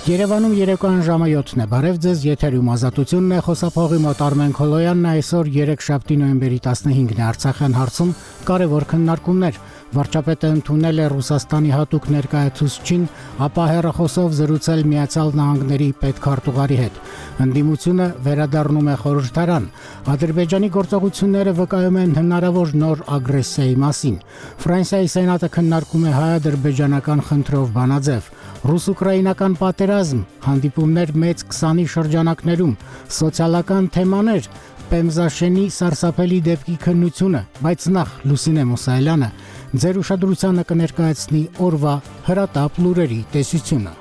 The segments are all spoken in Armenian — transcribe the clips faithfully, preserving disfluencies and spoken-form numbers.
Երևանում երեկոյան ժամը յոթն է, բարև ձեզ, եթերում ազատությունն է, խոսափողի մոտ Արմեն Քոլոյանն է, այսօր երեքշաբթի նոյեմբերի տասնհինգն է, Արցախյան հարցում կարևոր քննարկումներ, վարչապետը ընդունել է Ռուսաստանի հատուկ ներկայացուցչին, ապա հեռախոսով զրուցել Միացյալ Նահանգների պետքարտուղարի հետ, ընդդիմությունը վերադառնում է խորհրդարան, Ադրբեջանի գործողությունները վկայում են հնարավոր նոր ագրեսիայի մասին, Ֆրանսիայի սենատը քննարկում է հայ-ադրբեջանական խնդրով բանաձև, ռուս-ուկրաինական պատերազմ, հանդիպումներ մեծ քսանի շրջանակներում, սոցիալական թեմաներ, Պեմզաշենի սարսափելի դեպքի քննությունը, բայց նախ Լուսինե Մուսայելյանը ձեր ուշադրությանը կներկայացնի օրվա հրատապ լուրերի տեսությունը։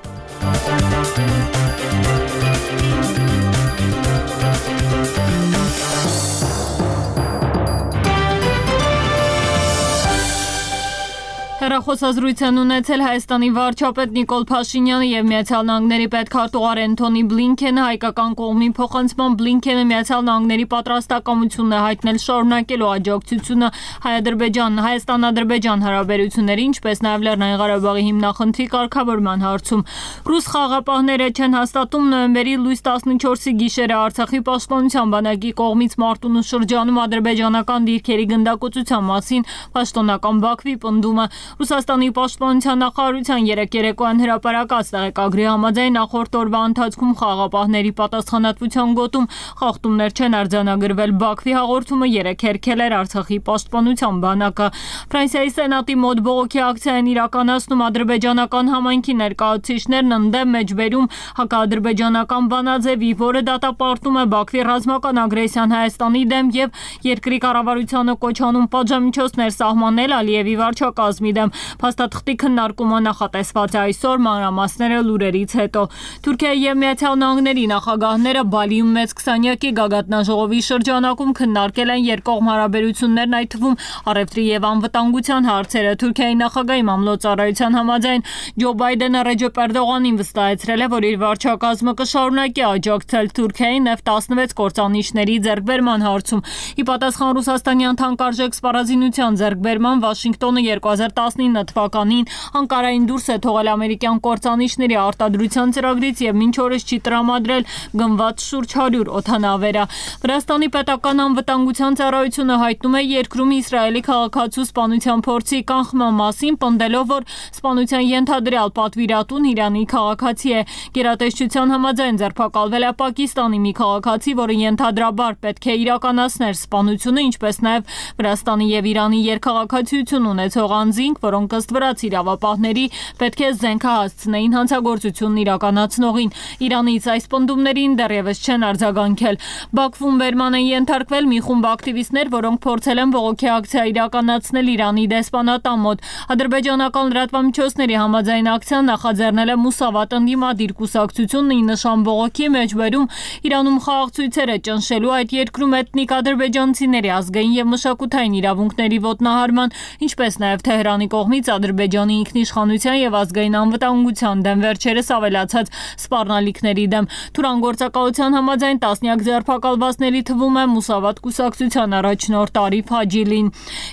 Հեռախոսազրույց են ունեցել Հայաստանի վարչապետ Նիկոլ Փաշինյանը եւ Միացյալ Նահանգների պետքարտուղար Էնթոնի Բլինքենը, հայկական կողմի փոխանցման Բլինքենը Միացյալ Նահանգների պատրաստակամությունն է հայտնել շարունակելու աջակցությունը Հայ-Ադրբեջան, Հայաստան-Ադրբեջան հարաբերությունների, ինչպես նաեւ Լեռնային Ղարաբաղի հիմնախնդրի կարգավորման հարցում։ Ռուս խաղապահները չեն հաստատում նոյեմբերի լույս տասնչորսի գիշերը Արցախի պաշտպանության բանակի կողմից Մարտունու շրջանում ադրբեջանական դիրքերի գնդակոծության մասին պաշտոնական Բաքվի պնդումը։ Ռուսաստանի պաշտպանության նախարարության երեկ երեկոյան հրապարակած տեղեկագրի համաձայն նախորդ օրվա ընթացքում խաղապահների պատասխանատվության գոտում խախտումներ չեն արձանագրվել։ Բաքվի հաղորդումը երեկ հերքել էր Արցախի պաշտպանության բանակը։ Ֆրանսիայի սենատի մոտ բողոքի ակցիա են իրականացնում ադրբեջանական համայնքի ներկայացուցիչներն ընդդեմ մեջբերում հակաադրբեջանական բանաձևի, որը դատապարտում է Բաքվի ռազմական ագրեսիան Հայաստանի դեմ եւ երկրի կառավարությանը կոչ անում պատժամիջոցներ սահմանել Ալիևի վարչակազմի դեմ։ Փաստաթղթի քննարկումը նախատեսված է այսօր, մանրամասները լուրերից հետո։ Թուրքիայի եւ Միացյալ Նահանգների նախագահները Բալիում մեծ քսանյակի գագաթնաժողովի շրջանակում քննարկել են երկկողմ հարաբերություններն, այդ թվում առևտրի եւ անվտանգության հարցերը։ Թուրքիայի նախագահի մամլոյցարայության համաձայն Ջո Բայդենը Ռեջեփ Էրդողանին վստահեցրել է, որ իր վարչակազմը կշարունակի աջակցել Թուրքիային Էֆ տասնվեց կործանիչների ձեռքբերման հարցում։ Ի պատասխան ռուսաստանյան թանկարժեք սպառազինության ձեռքբերման Վաշինգտոնը երկու հազար տասնինը թվականին Անկարային դուրս է թողել ամերիկյան կործանիչների արտադրության ծրագրից եւ մինչ օրս չի տրամադրել գնված շուրջ հարյուր օդանավերա։ Վրաստանի պետական անվտանգության ծառայությունը հայտնում է երկրում Իսրայելի քաղաքացու սպանության փորձի կանխման մասին, պնդելով, որ սպանության ենթադրյալ պատվիրատուն Իրանի քաղաքացի է։ Գերատեսչության համաձայն ձերբակալվել է Պակիստանի մի քաղաքացի, որը ենթադրաբար պետք է իրականացներ սպանությունը, ինչպես նաեւ Վրաստանի եւ Իրանի երկխաղացիություն ունեցող անձինք, որոնք ըստ վրաց իրավապահների պետք է զենքահասցնեին հանցագործությունն իրականացնողին։ Իրանից այս պնդումներին դեռևս չեն արձագանքել։ Բաքվում բերման են ենթարկվել մի խումբ ակտիվիստներ, որոնք փորձել են բողոքի ակցիա իրականացնել Իրանի դեսպանատան մոտ։ Ադրբեջանական լրատվամիջոցների համաձայն ակցիան նախաձեռնել է Մուսավատ ընդդիմադիր կուսակցությունն ի նշան բողոքի մեջբերում Իրանում խաղաղցույցերը ճնշելու, այդ երկրում էթնիկ ադրբեջանցիների ազգային եւ մշակութային իրավունքների ոտնահարման, ինչպես նաեւ Թեհրանի կողմից Ադրբեջանի ինքնիշխանության եւ ազգային անվտանգության դեմ վերջերս ավելացած սպառնալիքների դեմ։ Թուրան գործակալության համաձայն տասնյակ ձերբակալվածների թվում է Մուսավատ կուսակցության առաջնորդ Արիֆ Հաջիլին։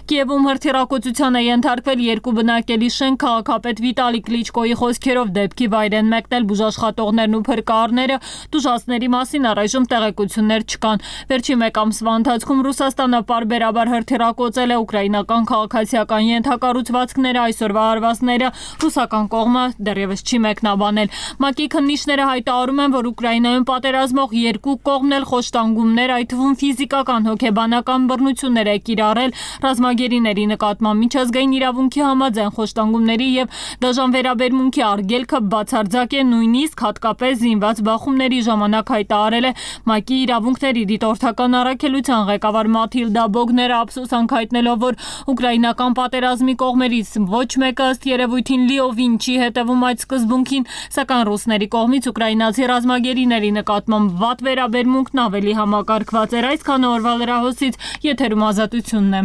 Կիևում հրթիռակոծության է ենթարկվել երկու բնակելի շենք, քաղաքապետ Վիտալի Կլիչկոյի խոսքերով դեպքի վայր են մեկնել բուժաշխատողներն ու փրկարները, տուժածների մասին առայժմ տեղեկություններ չկան։ Վերջին մեկ ամսվա ընթացքում Ռուսաստանը պարբերաբար հրթիռակոծել է ուկրաինական քաղաքացիական ենթակառուցվածքները, այսօրվա հարվածները ռուսական կողմը դեռևս չի մեկնաբանել։ ՄԱԿ-ի քննիչները հայտարարում են, որ Ուկրաինայում պատերազմող երկու կողմն էլ խոշտանգումներ, այդ թվում ֆիզիկական հոգեբանական բռնություններ է կիրառել ռազմագերիների նկատմամբ։ Միջազգային իրավունքի համաձայն խոշտանգումների եւ դաժան վերաբերմունքի արգելքը բացարձակ է, նույնիսկ հատկապես զինված բախումների ժամանակ, հայտարարել է ՄԱԿ-ի իրավունքների դիտորդական առաքելության ղեկավար Մաթիլդա Բոգները, ափսոսանք հայտնելով, որ ուկրաինական պատերազմի կողմերից ոչ մեկը ըստ երևույթին լիովին չի հետևում այդ սկզբունքին, սակայն ռուսների կողմից ուկրաինացի ռազմագերիների նկատմամբ վատ վերաբերմունքն ավելի համակարգված էր։ Այսքանը օրվա լրահոսից, եթերում ազատությունն է։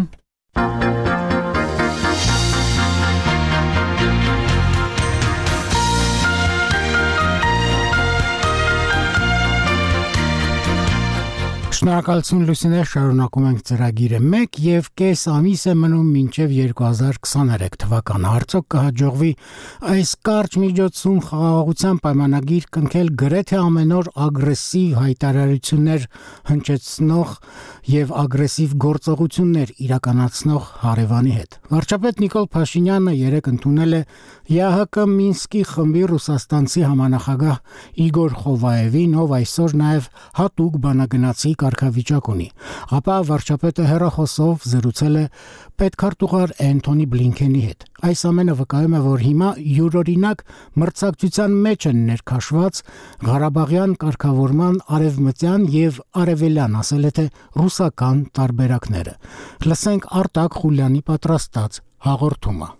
Շնորհակալություն Լուսինե, շարունակում ենք ծրագիրը մեկ եւ կես ամիս է մնում մինչեւ երկու հազար քսաներեք թվականը։ Արդյոք կհաջողվի այս կարճ միջոցում խաղաղության պայմանագիր կնքել գրեթե ամեն օր ագրեսիվ հայտարարություններ հնչեցնող եւ ագրեսիվ գործողություններ իրականացնող հարևանի հետ։ Վարչապետ Նիկոլ Փաշինյանը երեկ ընդունել է ԵԱՀԿ Մինսկի խմբի ռուսաստանցի համանախագահ Իգոր Խովաևին, ով այսօր նաեւ հատուկ բանագնացի կարգավիճակ ունի։ Ապա վարչապետը հեռախոսով զրուցել է պետքարտուղար Էնթոնի Բլինքենի հետ։ Այս ամենը վկայում է, որ հիմա յուրօրինակ մրցակցության մեջ են ներքաշված Ղարաբաղյան կարգավորման արևմտյան եւ արևելյան, ասել է թե ռուսական տարբերակները։ Լսենք Արտակ Խուլյանի պատրաստած հաղորդումը։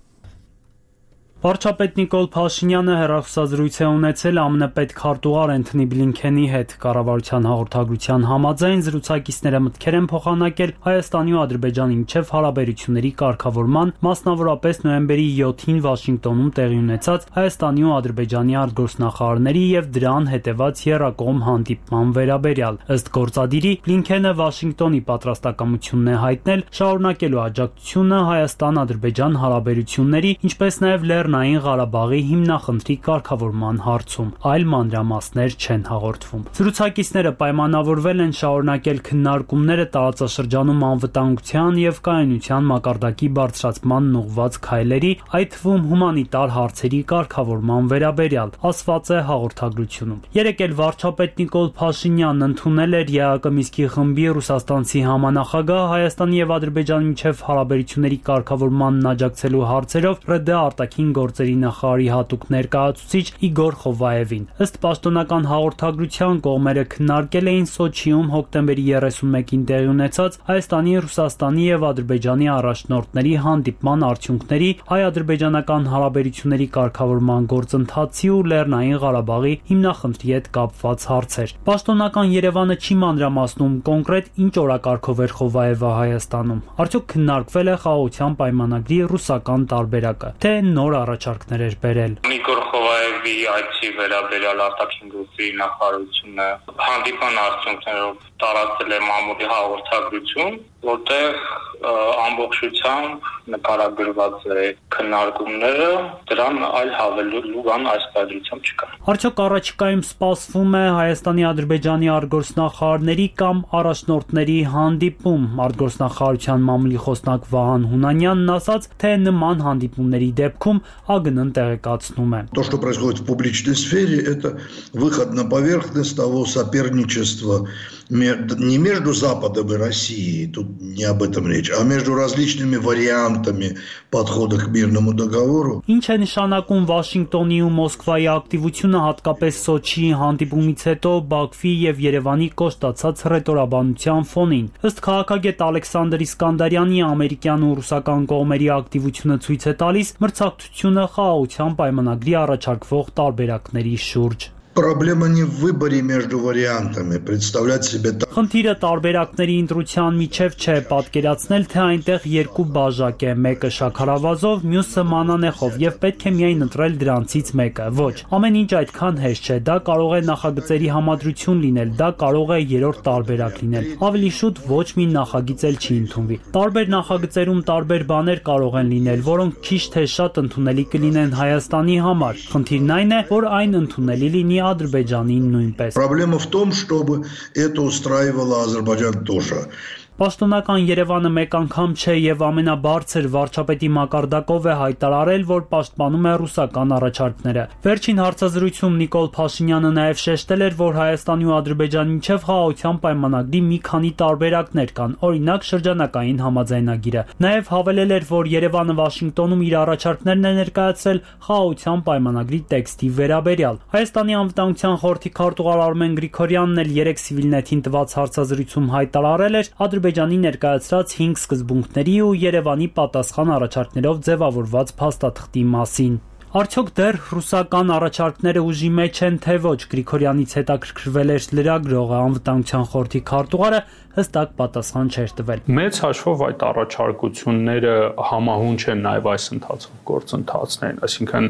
Վարչապետ Նիկոլ Փաշինյանը հեռախոսազրույց է ունեցել ԱՄՆ պետքարտուղար Էնթոնի Բլինքենի հետ։ Կառավարության հաղորդագրության համաձայն զրուցակիցները մտքեր են փոխանակել Հայաստանի ու Ադրբեջանի միջև հարաբերությունների կարգավորման, մասնավորապես նոյեմբերի յոթին Վաշինգտոնում տեղի ունեցած Հայաստանի ու Ադրբեջանի արտգործնախարարների եւ դրան հետեւած եռակողմ հանդիպման վերաբերյալ։ Ըստ գործադիրի, Բլինքենը Վաշինգտոնի պատրաստակամությունն է հայտնել շարունակելու աջակցությունը Հայաստան-Ադրբեջան հարաբերությունների, ինչպես նաեւ լեռ Լեռնային Ղարաբաղի հիմնախնդրի կարգավորման հարցում, այլ մանրամասներ չեն հաղորդվում։ Զրուցակիցները պայմանավորվել են շարունակել քննարկումները տարածաշրջանում անվտանգության եւ կայունության մակարդակի բարձրացմանն ուղղված քայլերի, այդ թվում հումանիտար հարցերի կարգավորման վերաբերյալ, ասված է հաղորդագրությունում։ Երեկ էլ վարչապետ Նիկոլ Փաշինյանն ընդունել էր ԵԱՀԿ Մինսկի խմբի ռուսաստանցի համանախագահ Հայաստանի եւ Ադրբեջանի միջև հարաբերությունների կարգավորմանն աջակցելու հարցերով ՌԴ արտաքին գործերի նախարարի հատուկ ներկայացուցիչ Իգոր Խովաևին։ Ըստ պաշտոնական հաղորդագրության կողմերը քննարկել էին Սոչիում հոկտեմբերի երեսունմեկին տեղի ունեցած Հայաստանի, Ռուսաստանի եւ Ադրբեջանի առաջնորդների հանդիպման արդյունքների, հայ-ադրբեջանական հարաբերությունների կարգավորման գործընթացի ու Լեռնային Ղարաբաղի հիմնախնդրի հետ կապված հարցեր։ Պաշտոնական Երևանը չի մանրամասնում կոնկրետ ինչ օրակարգով էր Խովաևը Հայաստանում։ Արդյոք քննարկվել է խաղաղության պայմանագրի ռուսական տարբերակը, թե նոր առաջարկներ էր բերել։ Նիկոլ Խովաևի այցի վերաբերյալ արտաքին գործերի նախարարությունը հանդիպան արդյունքներով տարածել է մամուլի հաղորդագրություն, որտեղ ամբողջությամբ նկարագրված է քննարկումները, դրան այլ հավելելու բան այս պայմանությամբ չկա։ Արդյոք առաջիկայում սպասվում է Հայաստանի-Ադրբեջանի արտգործնախարարների կամ առաջնորդների հանդիպում։ Արտգործնախարարության մամուլի խոսնակ Վահան Հունանյանն ասաց, թե нման հանդիպումների դեպքում ԱԳՆ-ն տեղեկացնում է։ То, что происходит в публичной сфере, это выход на поверхность того соперничества не между Западом и Россией, тут не об этом речь, а между различными вариантами подхода к мирному договору. Ինչ է նշանակում Վաշինգտոնի ու Մոսկվայի ակտիվությունը, հատկապես Սոչիի հանդիպումից հետո Բաքվի եւ Երևանի կոշտացած հռետորաբանության ֆոնին։ Ըստ քաղաքագետ Ալեքսանդր Իսկանդարյանի, ամերիկյան ու ռուսական կողմերի ակտիվությունը ցույց է տալիս մրցակցությունը խաղաղության պայմանագրի առաջարկվող տարբերակների շուրջ։ Проблема не в выборе между вариантами, представлять себе так. Խնդիրը տարբերակների ընտրության միջև չէ, պատկերացնել, թե այնտեղ երկու բաժակ է, մեկը շաքարավազով, մյուսը մանանեխով, եւ պետք է միայն ընտրել դրանցից մեկը։ Ոչ, ամեն ինչ այդքան հեշտ չէ, դա կարող է նախագծերի համադրություն լինել, դա կարող է երրորդ տարբերակ լինել։ Ավելի շուտ ոչ մի նախագիծ էլ չի ընդունվի։ Տարբեր նախագծերում տարբեր բաներ կարող են լինել, որոնք քիչ թե շատ ընդունելի կլինեն Հայաստանի համար։ Խնդիրն այն է, որ այն ընդունելի լինի Ադրբեջանին նույնպես։ Проблема в том, чтобы это устраивало Азербайджан тоже. Պաշտոնական Երևանը մեկ անգամ չէ եւ ամենաբարձր վարչապետի մակարդակով է հայտարարել, որ պաշտպանում է ռուսական առաջարկները։ Վերջին հարցազրույցում Նիկոլ Փաշինյանը նաեւ շեշտել էր, որ Հայաստանի ու Ադրբեջանի միջև խաղաղության պայմանագրի մի քանի տարբերակներ կան, օրինակ շրջանակային համաձայնագիրը։ Նաեւ հավելել էր, որ Երևանը Վաշինգտոնում իր առաջարկներն է ներկայացրել խաղաղության պայմանագրի տեքստի վերաբերյալ։ Հայաստանի անվտանգության խորհրդի քարտուղար Արմեն Գրիգորյանն էլ երեք Civilnet-ին տված հարցազրույցում հայտարարել էր Ադրբեջանի ներկայացրած հինգ սկզբունքների ու Երևանի պատասխան առաջարկներով ձևավորված փաստաթղթի մասին։ Արդյոք դեռ ռուսական առաջարկները ուժի մեջ են, թե ոչ, Գրիգորյանից հետաքրքրվել էր լրագրողը, անվտանգության խորհրդի քարտուղարը հստակ պատասխան չէր տվել։ Մեծ հաշվով այդ առաջարկությունները համահունչ են նաև այս ընթացող գործընթացներին, այսինքն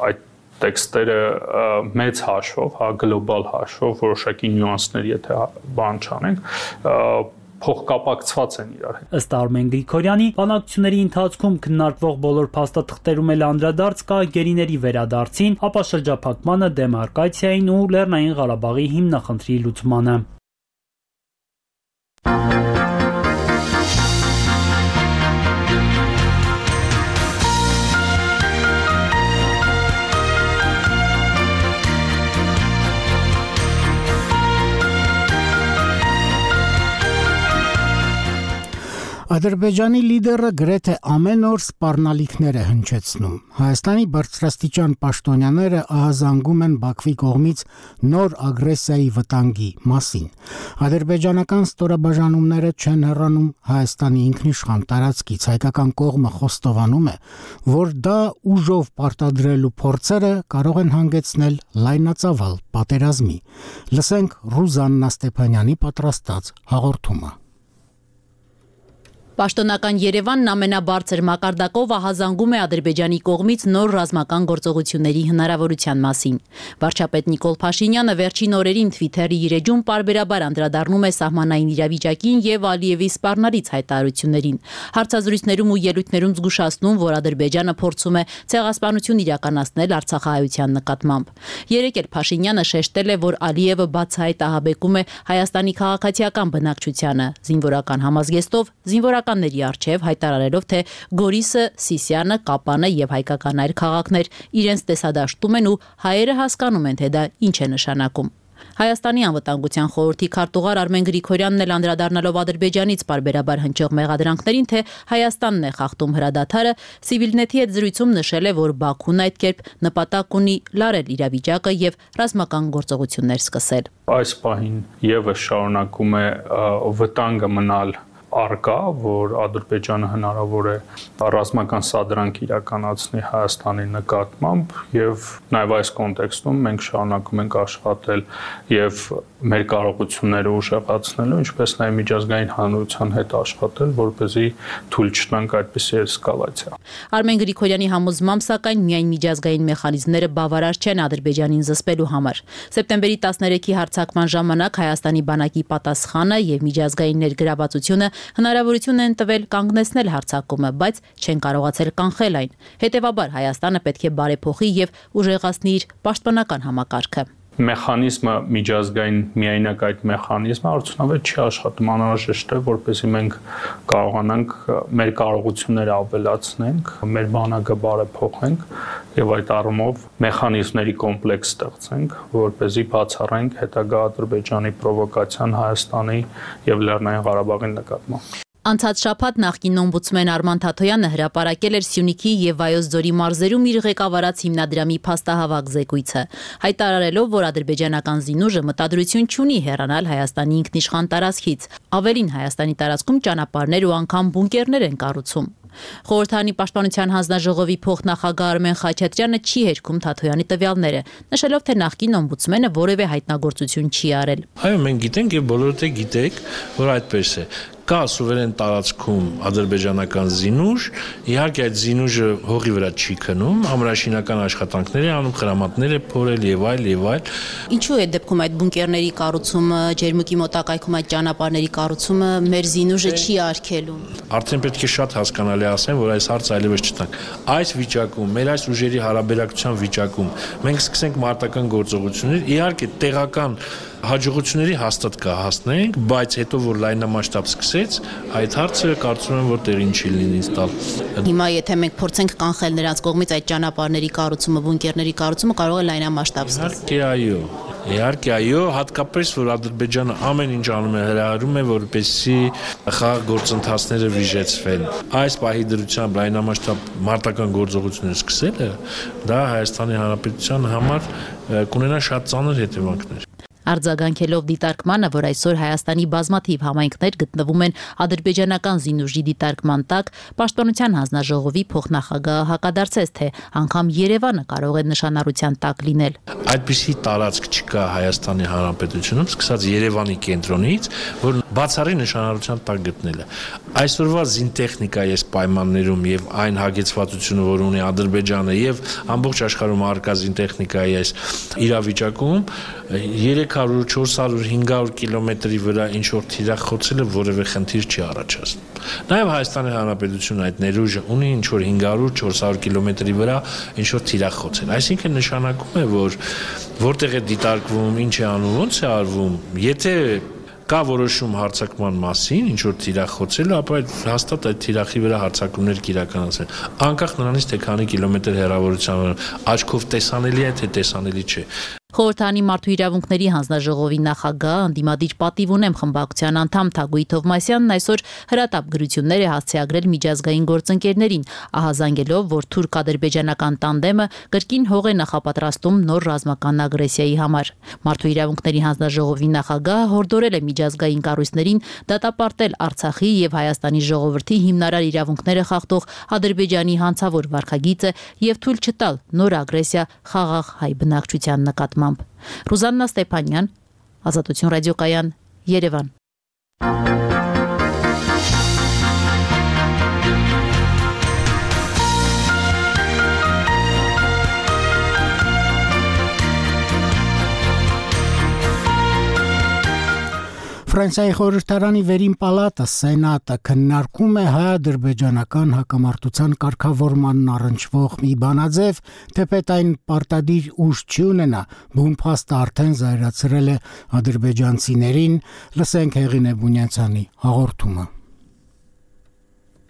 այդ տեքստերը մեծ հաշվով, հա գլոբալ հաշվով, որոշակի նյուանսներ, եթե բան չանենք, փոխկապակցված են իրար հետ։ Ըստ Արմեն Գրիգորյանի, բանակցությունների ընթացքում քննարկվող բոլոր փաստաթղթերում էլ անդրադարձ կա գերիների վերադարձին, ապա շրջափակմանը, դեմարկացիային ու Լեռնային Ղարաբաղի հիմնախնդրի լուծմանը։ Ադրբեջանի լիդերը գրեթե ամեն օր սպառնալիքներ է հնչեցնում։ Հայաստանի բարձրաստիճան պաշտոնյաները ահազանգում են Բաքվի կողմից նոր ագրեսիայի վտանգի մասին։ Ադրբեջանական ստորաբաժանումները չեն հեռանում Հայաստանի ինքնիշխան տարածքից, հայկական կողմը խոստովանում է, որ դա ուժով պարտադրելու փորձերը կարող են հանգեցնել լայնածավալ պատերազմի։ Լսենք Ռուզաննա Ստեփանյանի պատրաստած հաղորդումը։ Պաշտոնական Երևանն ամենաբարձր մակարդակով ահազանգում է Ադրբեջանի կողմից նոր ռազմական գործողությունների հնարավորության մասին։ Վարչապետ Նիկոլ Փաշինյանը վերջին օրերին Twitter-ի իր էջում պարբերաբար անդրադառնում է սահմանային իրավիճակին եւ Ալիևի սպառնալից հայտարարություններին։ Հարցազրույցներում ու ելույթներում զգուշացնում, որ Ադրբեջանը փորձում է ցեղասպանություն իրականացնել Արցախահայության նկատմամբ։ Երեկ էլ Փաշինյանը շեշտել է, որ Ալիևը բացահայտ ահաբեկում է Հայաստանի քաղաքացիական բնակչությանը, զինվորական համազգեստով, զինվորական ների արչև հայտարարելով, թե Գորիսը, Սիսիանը, Կապանը եւ հայկական այլ քաղաքներ իրենց տեսադաշտում են ու հայերը հասկանում են, թե դա ինչ է նշանակում։ Հայաստանի անվտանգության խորհրդի քարտուղար Արմեն Գրիգորյանն էլ անդրադառնալով Ադրբեջանից պարբերաբար հնչող մեղադրանքներին, թե Հայաստանն է խախտում հրադադարը, Civilnet-ի հետ զրույցում նշել է, որ Բաքուն այդ կերպ նպատակ ունի լարել իրավիճակը եւ ռազմական գործողություններ սկսել։ Այս պահին եւս շարունակում է վտանգը մնալ արկա, որ Ադրբեջանը հնարավոր է ռազմական սադրանք իրականացնի Հայաստանի նկատմամբ եւ նաեւ այս կոնտեքստում մենք շարունակում ենք աշխատել եւ մեր կարողությունները ուժեղացնելու, ինչպես նաեւ միջազգային հանրության հետ աշխատել, որպեսզի թույլ չտանք այդպիսի էսկալացիա։ Արմեն Գրիգորյանի համոզմամբ, սակայն միայն միջազգային մեխանիզմները բավարար չեն Ադրբեջանին զսպելու համար։ Սեպտեմբերի տասներեքի հարձակման ժամանակ Հայաստանի բանակի պատասխանը եւ միջազգային ներգրավվածությունը հնարավորություն են տվել կանգնեցնել հարձակումը, բայց չեն կարողացել կանխել այն։ Հետևաբար Հայաստանը պետք է բարեփոխի եւ ուժեղացնի իր պաշտպանական համակարգը։ Մեխանիզմը միջազգային միայնակ այդ մեխանիզմը արդյունավետ չի աշխատում, անհրաժեշտ է, որպեսզի մենք կարողանանք մեր կարողությունները ավելացնենք, մեր բանակը բարեփոխենք եւ այդ առումով մեխանիզմների կոմպլեքս ստեղծենք, որպեսզի բացառենք հետագա Ադրբեջանի պրովոկացիան Հայաստանի եւ Լեռնային Ղարաբաղի նկատմամբ։ Անցած շաբաթ նախկին օմբուդսմեն Արման Թաթոյանը հրապարակել էր Սյունիքի եւ Վայոց ձորի մարզերում իր ղեկավարած հիմնադրամի փաստահավաք զեկույցը, հայտարարելով, որ ադրբեջանական զինուժը մտադրություն չունի հեռանալ Հայաստանի ինքնիշխան տարածքից։ Ավելին, Հայաստանի տարածքում ճանապարհներ ու անգամ բունկերներ են կառուցում։ Խորհրդարանի պաշտպանության հանձնաժողովի փոխնախագահ Արմեն Խաչատրյանը չի հերքում Թաթոյանի տվյալները, նշելով, թե նախկին օմբուդսմենը որևէ հայտնագործություն չի արել։ Այո, մենք գիտենք եւ բոլորդ է գիտեք, որ այդպես է։ Կա սուվերեն տարածքում ադրբեջանական զինուժ, իհարկե այդ զինուժը հողի վրա չի քնում, ամրաշինական աշխատանքներ է անում, խրամատներ է փորել եւ այլ եւ այլ։ Ինչու է դեպքում այդ բունկերների կառուցումը, ջերմուկի մոտակայքում այդ ճանապարհների կառուցումը մեր զինուժը չի արգելում։ Արդեն պետք է շատ հասկանալի ասեմ, որ այս հարցը այլևս չտանք։ Այս վիճակում, մեր այս ուժերի հարաբերակցության վիճակում մենք սկսենք մարտական գործողություններ, իհարկե տեղական հաջողությունների հաստատ կհասնենք, բայց հետո որ լայնամասշտաբ սկսեց, այդ հարցը կարծում եմ, որ տեղին չի լինի տալ։ Հիմա եթե մենք փորձենք կանխել նրանց կողմից այդ ճանապարհների կառուցումը, բունկերների կառուցումը, կարող է լայնամասշտաբ սկսել։ Իհարկե այո։ Իհարկե այո, հատկապես որ Ադրբեջանը ամեն ինչ անում է, հրահրում է, որպեսզի խաղաղ գործընթացները վիժեցվեն։ Այս պահի դրությամբ լայնամասշտաբ մարտական գործողություններ սկսելը, դա Հայաստանի Հանրապետության համար կունենա շատ ծանր հետևանքներ։ Արձագանքելով դիտարկմանը, որ այսօր Հայաստանի բազմաթիվ համայնքներ գտնվում են ադրբեջանական զինուժի դիտարկման տակ, Պաշտպանության հանձնաժողովի փոխնախագահը հակադարձեց, թե անգամ Երևանը կարող է նշանառության տակ լինել։ Այդպիսի տարածք չկա Հայաստանի Հանրապետությունում, սկսած Երևանի կենտրոնից, որ բացառի նշանառության տակ գտնելը։ Այսօրվա զինտեխնիկայի այս պայմաններում եւ այն հագեցվածությունը, որ ունի Ադրբեջանը եւ ամբողջ աշխարհում առկա զինտեխնիկայի այս իրավիճակում երեք հարյուր, չորս հարյուր, հինգ հարյուր կիլոմետրի վրա ինչ որ թիրախ խոցելը որևէ խնդիր չի առաջացնում։ Նաեւ Հայաստանի Հանրապետությունը այդ ներուժը ունի ինչ որ հինգ հարյուր, չորս հարյուր կիլոմետրի վրա ինչ որ թիրախ խոցել։ Այսինքն նշանակում է, որ որտեղ է դիտարկվում, ինչ է անում, ոնց է արվում, եթե կա որոշում հարձակման մասին, ինչ որ թիրախ խոցելը, ապա այդ հաստատ այդ թիրախի վրա հարձակումներ կիրականացնել։ Անկախ նրանից, թե քանի կիլոմետր հեռավորությամբ աչքով տեսանելի է, թե տեսանելի չէ։ Խորհրդանի մարդու իրավունքների հանձնաժողովի նախագահ ընդդիմադիր պատիվ ունեմ խմբակցության անդամ Թագուհի Թովմասյանն այսօր հրատապ գրություններ է հասցեագրել միջազգային գործընկերներին, ահազանգելով, որ թուրք-ադրբեջանական տանդեմը կրկին հող է նախապատրաստում նոր ռազմական ագրեսիայի համար։ Մարդու իրավունքների հանձնաժողովի նախագահը հորդորել է միջազգային կառույցներին դատապարտել Արցախի եւ Հայաստանի ժողովրդի հիմնարար իրավունքները խախտող Ադրբեջանի հանցավոր վարքագիծը եւ թույլ չտալ նոր ագրեսիա խաղաղ հայ բնակչության նկատմամբ։ Ռուզաննա Ստեփանյան, Ազատություն ռադիոկայան, Երևան։ Ֆրանսիայի խորհրդարանի վերին պալատը սենատը քննարկում է հայ-ադրբեջանական հակամարտության կարգավորմանն առնչվող մի բանաձև, թեպետ այն պարտադիր ուժ չի ունենա, բուն փաստը արդեն զայրացրել է ադրբեջանցիներին, լսենք Հեղինե Բունյացյանի հաղորդումը։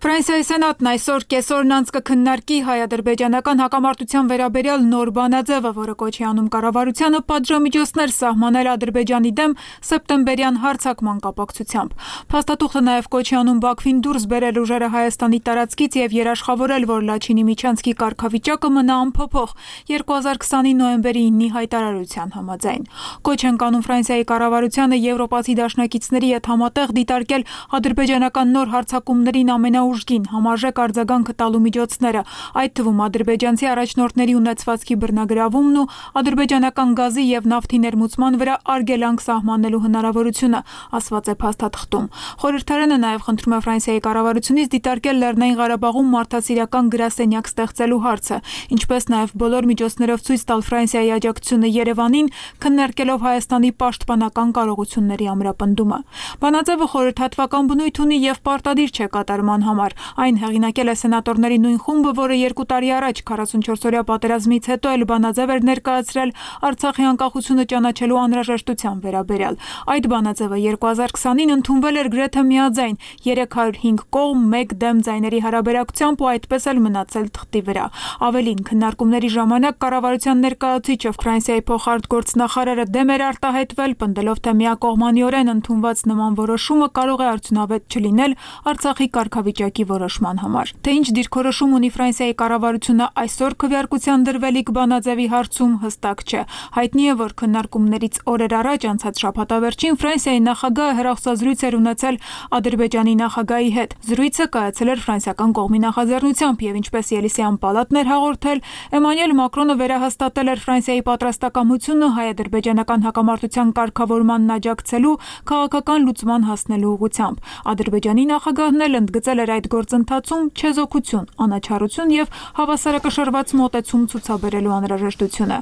Ֆրանսիայի սենատն այսօր կեսօրն անց կքննարկի հայ-ադրբեջանական հակամարտության վերաբերյալ նոր բանաձևը, որը կոչի անում կառավարությանը պատժամիջոցներ սահմանել Ադրբեջանի դեմ սեպտեմբերյան հարձակման կապակցությամբ։ Փաստաթուղթը նաև կոչի անում Բաքվին դուրս բերել ուժերը Հայաստանի տարածքից եւ երաշխավորել, որ Լաչինի միջանցքի կարգավիճակը մնա անփոփոխ երկու հազար քսանի նոյեմբերի ինի հայտարարության համաձայն։ Կոչ են կանում Ֆրանսիայի կառավարությանը եվրոպացի դաշնակիցների հետ համատեղ դիտարկել ադրբեջանական նոր հարձակումներին ամենաուժ ուժգին համարժեք արձագանքը տալու միջոցները, այդ թվում ադրբեջանցի առաջնորդների ունեցվածքի բռնագրավումն ու ադրբեջանական գազի եւ նավթի ներմուծման վրա արգելանք սահմանելու հնարավորությունը, ասված է փաստաթղթում։ Խորհրդարանը նաեւ խնդրում է Ֆրանսիայի կառավարությունից դիտարկել Լեռնային Ղարաբաղում մարդասիրական գրասենյակ ստեղծելու հարցը, ինչպես նաեւ բոլոր միջոցներով ցույց տալ Ֆրանսիայի աջակցությունը Երևանին, քննարկելով Հայաստանի պաշտպանական կարողությունների ամրապնդումը։ Բանաձևը խորհրդատվական բնույթ ունի եւ պարտադիր չէ կատարման համար։ Այն հեղինակել է սենատորների նույն խումբը, որը երկու տարի առաջ քառասունչորսօրյա պատերազմից հետո էլ բանաձև էր ներկայացրել Արցախի անկախությունը ճանաչելու անհրաժեշտության վերաբերյալ։ Այդ բանաձևը երկու հազար քսանին ընդունվել էր գրեթե միաձայն երեք հարյուր հինգ կողմ մեկ դեմ ձայների հարաբերակցությամբ ու այդպես էլ մնացել թղթի վրա։ Ավելին, քննարկումների ժամանակ կառավարության ներկայացուցիչը Ֆրանսիայի փոխարտգործնախարարը դեմ էր արտահայտվել, պնդելով, թե միակողմանիորեն ընդունված նման որոշումը կարող է արդյունավետ չլինել Արցախի կարգավիճակի որոշման համար։ Թե ինչ դիրքորոշում ունի Ֆրանսիայի կառավարությունը այսօր քվեարկության դրվելիք բանաձևի հարցում հստակ չէ։ Հայտնի է, որ քննարկումներից օրեր առաջ անցած շաբաթավերջին Ֆրանսիայի նախագահը հեռախոսազրույց էր ունեցել Ադրբեջանի նախագահի հետ։ Զրույցը կայացել էր ֆրանսիական կողմի նախաձեռնությամբ եւ ինչպես Ելիսեյան պալատն էր հաղորդել, Էմանուել Մակրոնը վերահաստատել էր Ֆրանսիայի պատրաստակամությունը հայ-ադրբեջանական հակամարտության կարգավորմանն աջակցելու քաղաքական լուծման հասնելու ուղղությամբ։ Ադրբեջանի նախագահն էլ ընդգծել էր այդ գործընթացում չեզոքություն, անաչառություն եւ հավասարակշռված մոտեցում ցուցաբերելու անհրաժեշտությունը։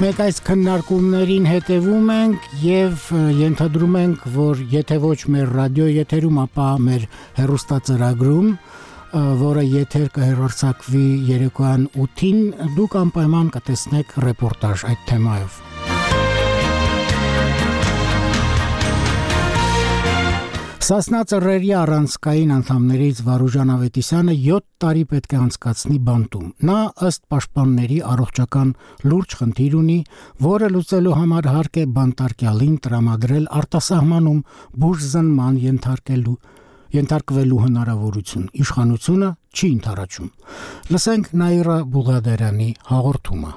Մենք այս քննարկումներին հետևում ենք եւ ենթադրում ենք, որ եթե ոչ մեր ռադիո եթերում, ապա մեր հեռուստածրագրում, որը եթեր կհեռարձակվի երեկոյան ութին, դուք անպայման կտեսնեք ռեպորտաժ այդ թեմայով։ Սասնա ծռերի առանցքային անդամներից Վարուժան Ավետիսյանը յոթ տարի պետք է անցկացնի բանտում։ Նա ըստ պաշտպանների առողջական լուրջ խնդիր ունի, որը լուծելու համար հարկ է բանտարկյալին տրամադրել արտասահմանում բուժզնման ենթարկելու ենթարկվելու հնարավորություն։ Իշխանությունը չի ընդառաջում։ Լսենք Նաիրա Բուղադարյանի հաղորդումը։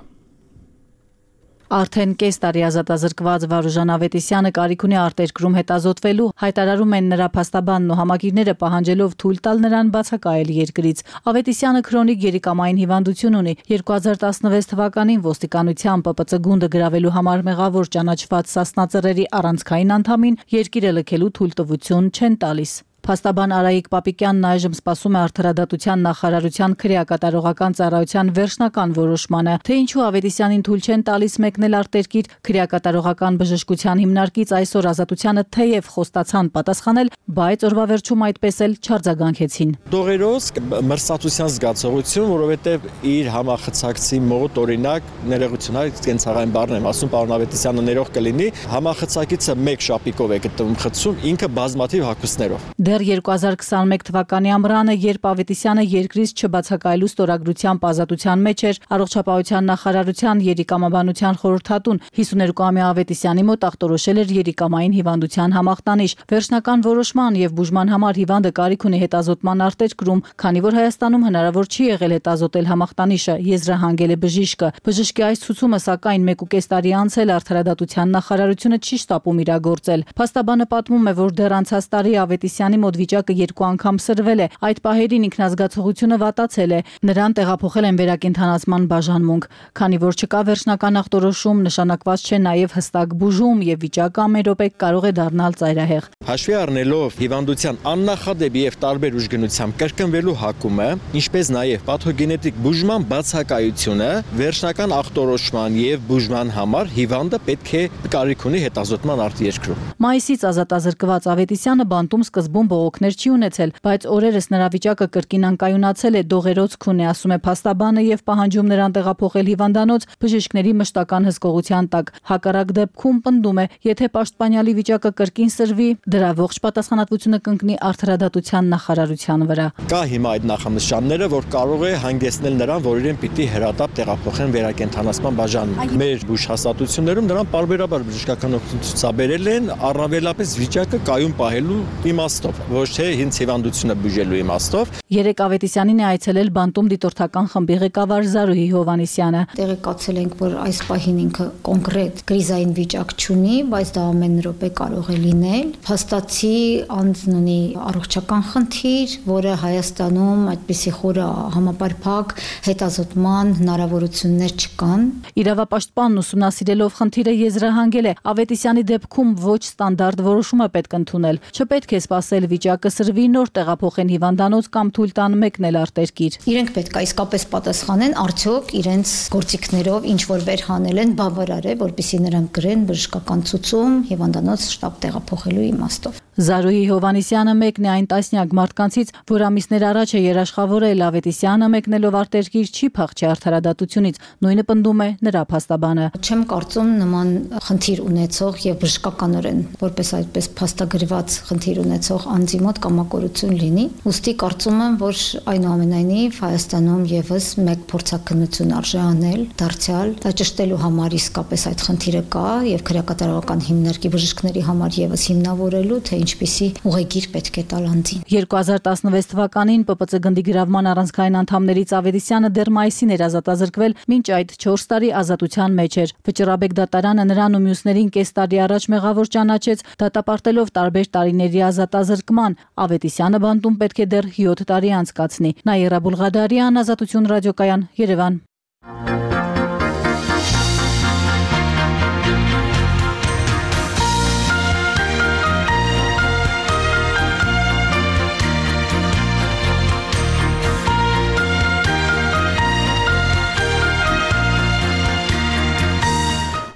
Արդեն կես տարի ազատազրկված Վարուժան Ավետիսյանը կարիք ունի արտերկրում հետազոտվելու, հայտարարում են նրա փաստաբանն ու համակիրները պահանջելով թույլ տալ նրան բացակայել երկրից։ Ավետիսյանը քրոնիկ երիկամային հիվանդություն ունի։ երկու հազար տասնվեց թվականին ոստիկանության Պ Պ Ց գունդը գրավելու համար մեղավոր ճանաչված Սասնա առանցքային անդամին երկիրը լքելու թույլտվություն չեն տալիս։ Փաստաբան Արայիկ Պապիկյանն այժմ սպասում է Արդարադատության նախարարության քրեակատարողական ծառայության վերջնական որոշմանը, թե ինչու Ավետիսյանին թույլ չեն տալիս մեկնել արտերկիր։ Քրեակատարողական բժշկության հիմնարկից այսօր Ազատությանը թեև խոստացան պատասխանել, բայց օրվա վերջում այդպես էլ չարձագանքեցին։ Դողերոց մրցակցության զգացողություն, որովհետև իր համախցակցի մոտ օրինակ ներողություն, այլ կենցաղային բառն եմ ասում, պարոն Ավետիսյանը ներող կլինի, համախցակիցը մեկ շապիկով է գտնվում խցում, ինքը բազմաթիվ հագուստներով։ Դեռ երկու հազար քսաներկու թվականի ամռանը, երբ Ավետիսյանը երկրից չբացակայելու ստորագրությամբ ազատության մեջ էր, Առողջապահության նախարարության երիկամաբանության խորհրդատուն հիսուներկուամյա Ավետիսյանի մոտ ախտորոշել էր երիկամային հիվանդության համախտանիշ։ Վերջնական որոշման եւ բուժման համար հիվանդը կարիք ունի հետազոտման արտերկրում, քանի որ Հայաստանում հնարավոր չի եղել հետազոտել համախտանիշը, եզրահանգել է բժիշկը։ Բժշկի այս ցուցումը սակայն մեկ ու կես տարի անցել Արդարադատության նախարարությունը չի շտապում իրագործել։ Փաստաբանը պատմում է, որ դեռ անցած տարի Ավետիսյանի մոտ վիճակը երկու անգամ սրվել է։ Այդ պահերին ինքնազգացողությունը վատացել է։ Նրան տեղափոխել են վերակենդանացման բաժանմունք, քանի որ չկա վերջնական ախտորոշում, նշանակված չէ նաև հստակ բուժում եւ վիճակը ամեն րոպե կարող է դառնալ ծայրահեղ։ Հաշվի առնելով հիվանդության աննախադեպ եւ տարբեր ուժգնությամբ կրկնվելու հակումը, ինչպես նաև պաթոգենետիկ բուժման բացակայությունը, վերջնական ախտորոշման եւ բուժման համար հիվանդը պետք է կարիք ունի հետազոտման արտերկրում։ Մայիսից ազատազրկված Ավետիսյանը բանտում սկզբում բողոքներ չի ունեցել, բայց օրերս նրա վիճակը կրկին անկայունացել է, դողերոց քուն է, ասում է փաստաբանը եւ պահանջում նրան տեղափոխել հիվանդանոց բժիշկների մշտական հսկողության տակ։ Հակառակ դեպքում պնդում է, եթե պաշտպանյալի վիճակը կրկին սրվի, դրա ողջ պատասխանատվությունը կընկնի Արդարադատության նախարարության վրա։ Կա հիմա այդ նախանշանները, որ կարող է հանգեցնել նրան, որ իրեն պիտի հրատապ տեղափոխեն վերակենդանացման բաժանմունք։ Մեր բուժհաստատություններում նրան պարբերաբար բժշկական օգնություն ցուցաբերել են, առավելապես վիճակը կայուն պահելու իմաստով, ոչ թե հինց հիվանդությունը բուժելու իմաստով։ Երեք Ավետիսյանին է այցելել բանտում դիտորդական խմբի ղեկավար Զարուհի Հովհաննիսյանը։ Տեղեկացել ենք, որ այս պահին ինքը կոնկրետ կրիզային վիճակ չունի, բայց դա ամեն րոպե կարող է լինել։ Փաստացի անձն ունի առողջական խնդիր, որը Հայաստանում այդպիսի խորը համապարփակ հետազոտման հնարավորություններ չկան։ Իրավապաշտպանն ուսումնասիրելով խնդիրը եզրահանգել է, Ավետիսյանի դեպքում ոչ ստանդարտ որոշում է պետք ընդունել։ Չպետք է սպասել վիճակը սրվի, նոր տեղափոխեն հիվանդանոց կամ թույլ տան մեկնել արտերկիր։ Իրենք պետք է իսկապես պատասխանեն, արդյոք իրենց գործիքներով ինչ որ վեր հանել են բավարար է, որպեսզի նրանք գրեն բժշկական ցուցում հիվանդանոց շտապ տեղափոխելու իմաստով։ Զարուհի Հովհաննիսյանը մեկն է այն տասնյակ մարդկանցից, որ ամիսներ առաջ է երաշխավորել Ավետիսյանը մեկնելով արտերկիր չի փախչի Արդարադատությունից, նույնը պնդում է նրա փաստաբանը։ Չեմ կարծում նման խնդիր ունեցող եւ բժշկականորեն որպես այդպես փաստագրված խնդիր ունեցող անձի մոտ կամակորություն լինի։ Ուստի կարծում եմ, որ այնուամենայնիվ Հայաստանում եւս մեկ փորձակնություն արժե անել, դարձյալ ճշտելու համար իսկապես այդ խնդիրը կա եւ քրեակատարողական հիմնարկի բժիշկների համար եւս հիմնավորելու, թե ինչպիսի ուղեգիր պետք է տալ անձին։ երկու հազար տասնվեց թվականին Պ Պ Ց գնդի գրավման առանցքային անդամներից Ավետիսյանը դեռ մայիսին էր ազատազրկվել, մինչ այդ չորս տարի ազատության մեջ էր։ Վճռաբեկ դատարանը նրան ու մյուսներին կես տարի առաջ մեղավոր ճանաչեց, դատապարտելով տարբեր տարիների ազատազրկման։ Ավետիսյանը բանտում պետք է դեռ յոթ տարի անցկացնի։ Նաիրա Բուլղադարյան, Ազատություն ռադիոկայան, Երևան։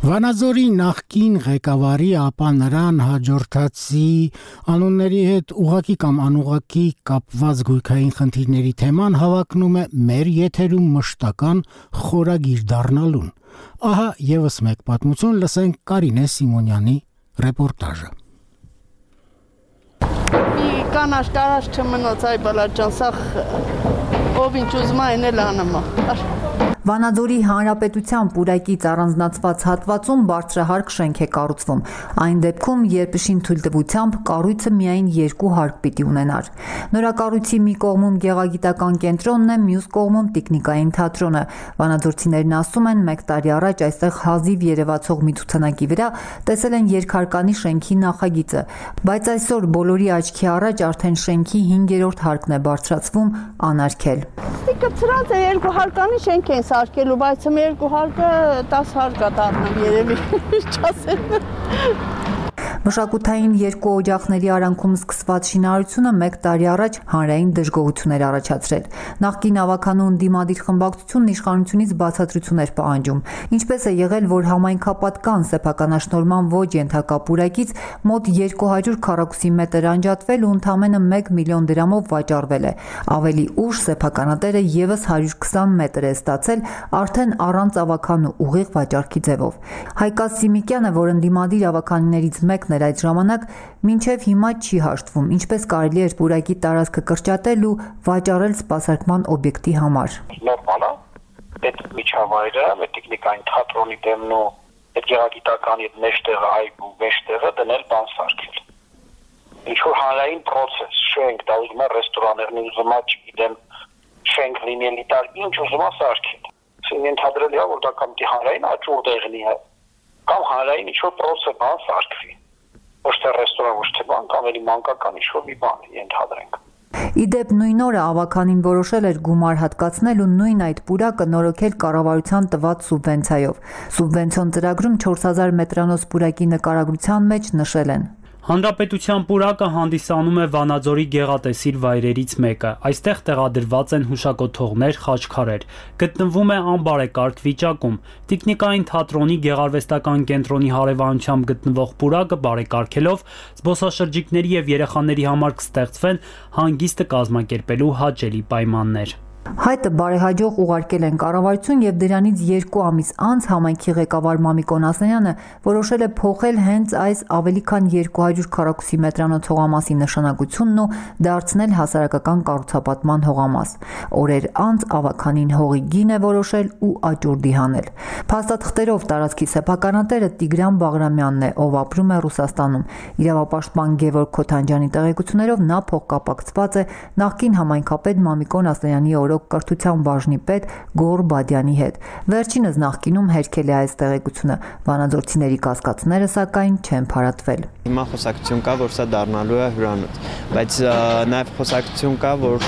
Վանաձորի նախկին ղեկավարի, ապա նրան հաջորդածի անունների հետ ուղղակի կամ անուղղակի կապված գույքային խնդիրների թեման հավակնում է մեր եթերում մշտական խորագիր դառնալուն։ Ահա եւս մեկ պատմություն, լսենք Կարինե Սիմոնյանի ռեպորտաժը։ Մի կանաչ կարաշ չմնոց այ բալաջան, սա ով ինչ ուզում է այն էլ անում է։ Վանաձորի Հանրապետության պուրակից առանձնացված հատվածում բարձրահարկ շենք է կառուցվում։ Այն դեպքում, երբ շին թույլտվությամբ կառույցը միայն երկու հարկ պիտի ունենար։ Նորակառույցի մի կողմում գեղագիտական կենտրոնն է, մյուս կողմում տեխնիկային թատրոնը։ Վանաձորցիներն ասում են, մեկ տարի առաջ այստեղ հազիվ երևացող մի ցուցանակի վրա տեսել են երկհարկանի շենքի նախագիծը, բայց այսօր բոլորի աչքի առաջ արդեն շենքի հինգերորդ հարկն է բարձրացվում անարգել։ Կծրած է երկու հարկանի շենք են սարքելու, բայց մ երկու հարկը տաս հարկ է դառնում երևի, չասեմ։ Մշակութային երկու օջախների արանքում սկսված շինարարությունը մեկ տարի առաջ հանրային դժգոհություններ առաջացրել։ Նախկին ավականու ընդդիմադիր խմբակցությունն իշխանությունից բացատրություն էր պահանջում։ Ինչպես է եղել, որ համայնքապատկան սեփականաշնորհման ոչ ենթակա պուրակից մոտ երկու հարյուր քառակուսի մետր անջատվել ու ընդամենը մեկ միլիոն դրամով վաճառվել է։ Ավելի ուշ սեփականատերը եւս հարյուր քսան մետր է ստացել արդեն առանց ավականու ուղիղ վաճառքի ձևով։ Հայկաս Սիմիկյանը, որ ընդդիմադիր ավականիներից մեկն էր այդ ժամանակ, մինչև հիմա չի հաշտվում, ինչպես կարելի էր պուրակի տարածքը կրճատել ու վաճառել սպասարկման օբյեկտի համար։ Նորմալ է, այդ միջավայրը, այդ տեխնիկային թատրոնի դեմն ու այդ գեղագիտականի այդ մեջտեղը, այգու մեջտեղը դնել բան սարքել։ Ինչ որ հանրային process, շենք, դա ուզում է ռեստորաներն ուզում է, չգիտեմ, շենք լինի էլիտար, ինչ ուզում է սարքել։ Սին ենթադրելի է, որ դա կամ հանրային աճուր դեղնի է, կամ հանրային ինչ որ process բան սարքվի։ Ոչ թե ռեստորան, ոչ թե բան, կամ էլի մանկական ինչ-որ մի բան ենթադրենք։ Իդեպ նույն օրը ավականին որոշել էր գումար հատկացնել ու նույն այդ պուրակը նորոգել կառավարության տված սուբվենցիայով։ Սուբվենցիոն ծրագրում չորս հազար մետրանոց պուրակի նկարագրության մեջ նշել են. Հանրապետության պուրակը հանդիսանում է Վանաձորի գեղատեսիլ վայրերից մեկը։ Այստեղ տեղադրված են հուշակոթողներ, խաչքարեր։ Գտնվում է անբարեկարգ վիճակում։ Տեխնիկային թատրոնի գեղարվեստական կենտրոնի հարևանությամբ գտնվող պուրակը բարեկարգելով զբոսաշրջիկների եւ երեխաների համար կստեղծվեն հանգիստը կազմակերպելու հաճելի պայմաններ։ Հայտը բարեհաջող ուղարկել են կառավարություն եւ դրանից երկու ամիս անց համայնքի ղեկավար Մամիկ Օնասյանյանը որոշել է փոխել հենց այս ավելի քան երկու հարյուր քառակուսի մետրանոց հողամասի նշանակությունն ու դարձնել հասարակական կառուցապատման հողամաս։ Օրեր անց ավականին հողի գին է որոշել ու աճուրդի հանել։ Փաստաթղթերով տարածքի սեփականատերը Տիգրան Բաղրամյանն է, ով ապրում է Ռուսաստանում։ Իրավապաշտպան Գևորգ Քոթանջյանի տեղեկություններով նա փոխկապակցված է նախկին համայնքապետ Մամիկ Օնասյանի օրոք կրթության բաժնի պետ Գոռ Բադյանի հետ։ Վերջինս նախկինում հերքել է այս տեղեկությունը։ Վանաձորցիների կասկածները սակայն չեն փարատվել։ Հիմա խոսակցություն կա, որ սա դառնալու է հյուրանոց, բայց նաև խոսակցություն կա, որ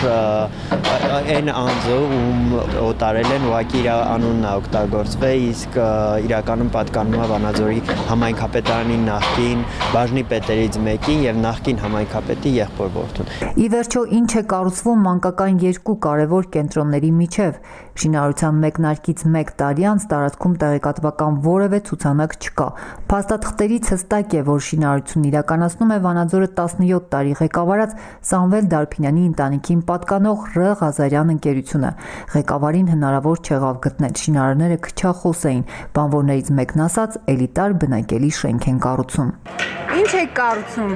այն անձը, ում օտարել են, ուղղակի իր անունն է օգտագործվել, իսկ իրականում պատկանում է Վանաձորի համայնքապետարանի նախկին բաժնի պետերից մեկին եւ նախկին համայնքապետի եղբոր որդուն։ Ի վերջո, ինչ է կառուցվում մանկական երկու կարևոր կենտրոնների միջև։ Շինարարության մեկնարկից մեկ տարի անց տարածքում տեղեկատվական որևէ ցուցանակ չկա։ Փաստաթղթերից հստակ է, որ շինարարությունն իրականացնում է Վանաձորը տասնյոթ տարի ղեկավարած Սամվել Դարփինյանի ընտանիքին պատկանող Ռ Ղազարյան ընկերությունը։ Ղեկավարին հնարավոր չեղավ գտնել, շինարարները քչախոս էին, բանվորներից մեկն ասաց, էլիտար բնակելի շենք են կառուցում։ Ինչ է կառուցում։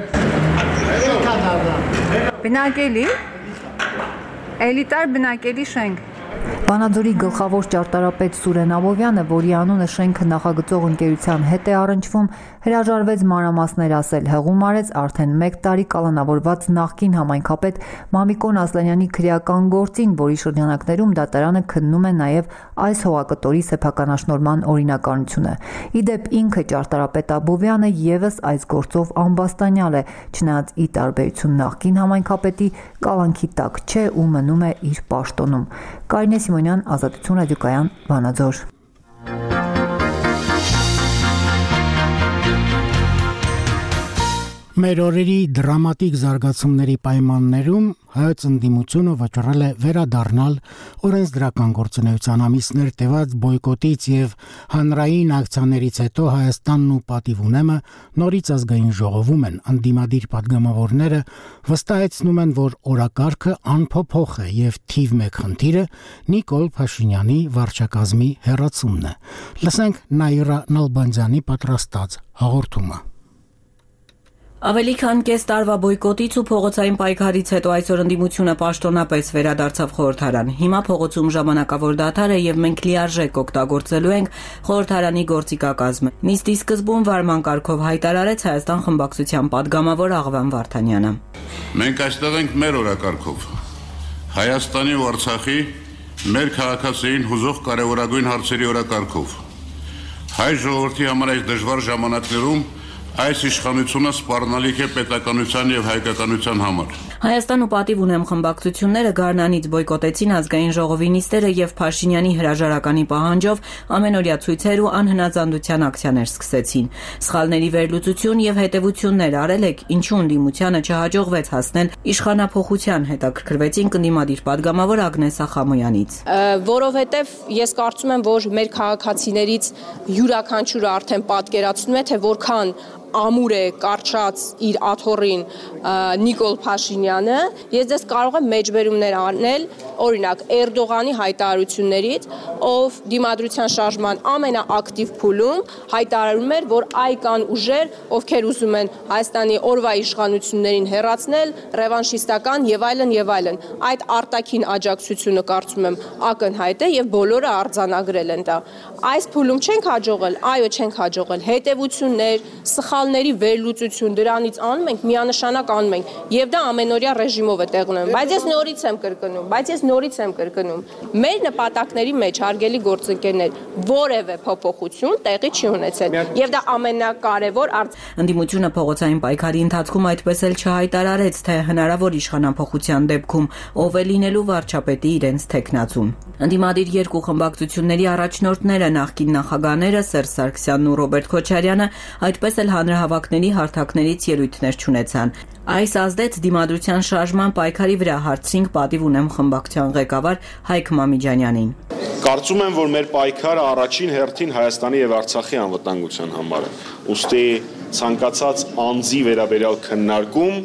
Բնակելի Էլիտար բնակելի շենք։ Վանաձորի գլխավոր ճարտարապետ Սուրեն Աբովյանը, որի անունը շենքը նախագծող ընկերության հետ է առնչվում, հրաժարվեց մանրամասներ ասել, հղում արեց արդեն մեկ տարի կալանավորված նախկին համայնքապետ Մամիկոն Ասլանյանի քրեական գործին, որի շրջանակներում դատարանը քննում է նաև այս հողակտորի սեփականաշնորհման օրինականությունը։ Իդեպ ինքը ճարտարապետ Աբովյանը եւս այս գործով ամբաստանյալ է, չնայած ի տարբերություն նախկին համայնքապետի կալանքի տակ չէ ու մնում է իր պաշտոնում։ Կարինե Սիմոնյան, Ազատություն ռադիոկայան, Վանաձոր։ Մեր օրերի դրամատիկ զարգացումների պայմաններում հայոց ընդդիմությունը վճռել է վերադառնալ օրենսդրական գործունեության ամիսներ տևած բոյկոտից եւ հանրային ակցիաներից հետո Հայաստանն ու Պատիվ ունեմը նորից ազգային ժողովում են։ Ընդդիմադիր падգամավորները վստահեցնում են, որ օրակարգը անփոփոխ է եւ թիվ մեկ խնդիրը Նիկոլ Փաշինյանի վարչակազմի հեռացումն է։ Լսենք Նաիրա Նալբանդյանի պատրաստած հաղորդումը։ Ավելի քան կես տարվա բոյկոտից ու փողոցային պայքարից հետո այսօր ընդդիմությունը պաշտոնապես վերադարձավ խորհրդարան։ Հիմա փողոցում ժամանակավոր դադար է եւ մենք լիարժեք օգտագործելու ենք խորհրդարանի գործիքակազմը։ Նիստի սկզբում վարման կարգով հայտարարեց Հայաստան խմբակցության падգամավոր Աղվան Վարդանյանը։ Մենք այստեղ ենք մեր օրակարգով։ Հայաստանի ու Արցախի մեր քաղաքացիներին հուզող կարևորագույն հարցերի օրակարգով։ Հայ ժողովրդի համար այս դժվար ժամանակներում այս իշխանությունը սպառնալիք է պետականության եւ հայկականության համար։ Հայաստան ու պատիվ ունեմ խմբակցությունները Գառնանից բոյկոտեցին ազգային ժողովի նիստերը եւ Փաշինյանի հրաժարականի պահանջով ամենօրյա ցույցեր ու անհնազանդության ակցիաներ սկսեցին։ Սխալների վերլուծություն եւ հետեւություններ արել եք, ինչու ընդդիմությանը չհաջողվեց հասնել իշխանափոխության, հետաքրքրվեցին կնդիմադիր падգամավոր Ագնես Ախամոյանից։ Որովհետեւ ես կարծում եմ, որ մեր քաղաքացիներից յուրաքանչյուրը արդեն պատկերացնում է, թե որքան ամուր է կարճած իր աթոռին Նիկոլ Փաշինյանը, ես դες կարող եմ մեջբերումներ անել, օրինակ Էրդողանի հայտարարություններից, ով դիմադրության շարժման ամենաակտիվ փուլում հայտարարում էր, որ այ կան ուժեր, ովքեր ուզում են Հայաստանի օրվա իշխանություններին հեռացնել, ռևանշիստական եւ այլն եւ այլն։ Այդ արտաքին աջակցությունը կարծում եմ ակնհայտ է եւ բոլորը արձանագրել են դա։ Այս փուլում չենք հաջողել, այո, չենք հաջողել։ Հետևություններ, սխալների վերլուծություն դրանից անում ենք, միանշանակ անում ենք եւ դա ամենօրյա ռեժիմով է տեղ ունենում, բայց ես նորից եմ կրկնում, բայց ես նորից եմ կրկնում, մեր նպատակների մեջ հարգելի գործընկերներ, որևէ փոփոխություն տեղի չի ունեցել եւ դա ամենակարևոր արծ։ Ընդդիմությունը փողոցային պայքարի ընթացքում այդպես էլ չհայտարարեց, թե հնարավոր իշխանափոխության դեպքում ով է լինելու վարչապետի իրենց թեկնածուն։ Ընդդիմադիր երկու խմբակցությունների առաջնորդները նախկին նախագահները Սերժ Սարգսյանն ու Ռոբերտ Քոչարյանը այդպես էլ հանրահավաքների հարթակներից ելույթներ չունեցան։ Այս ազդեց դիմադրության շարժման պայքարի վրա, հարցրինք պատիվ ունեմ խմբակցության ղեկավար Հայկ Մամիջանյանին։ Կարծում եմ, որ մեր պայքարը առաջին հերթին Հայաստանի եւ Արցախի անվտանգության համար է։ Ուստի ցանկացած անձի վերաբերյալ քննարկում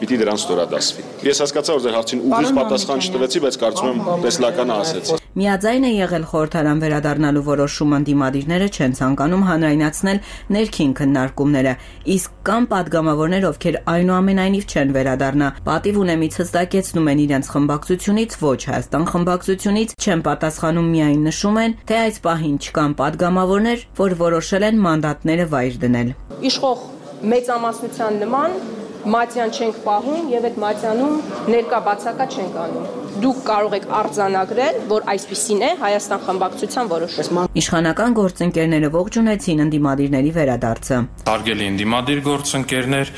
պիտի դրան ստորադասվի։ Ես հասկացա, որ ձեր հարցին ուղիղ պատասխան չտվեցի, բայց կարծում եմ տեսլականը ասեցի։ Միաձայն է եղել խորհրդարան վերադառնալու որոշումը, ընդդիմադիրները չեն ցանկանում հանրայնացնել ներքին քննարկումները, իսկ կան падգամավորներ, ովքեր այնուամենայնիվ չեն վերադառնա։ Պատիվ ունեմից հստակեցնում են իրենց խմբակցությունից, ոչ Հայաստան խմբակցությունից, չեն պատասխանում, միայն նշում են, թե այս պահին չկան падգամավորներ, որ որոշել են մանդատները վայր դնել։ Իշխող մեծամասնության նման մատյան չենք պահում եւ այդ մատյանում ներկա բացակա չենք անում։ Դուք կարող եք արձանագրել, որ այսպիսին է Հայաստան խմբակցության որոշումը։ Իշխանական գործընկերները ողջունեցին ընդդիմադիրների վերադարձը։ Հարգելի ընդդիմադիր գործընկերներ,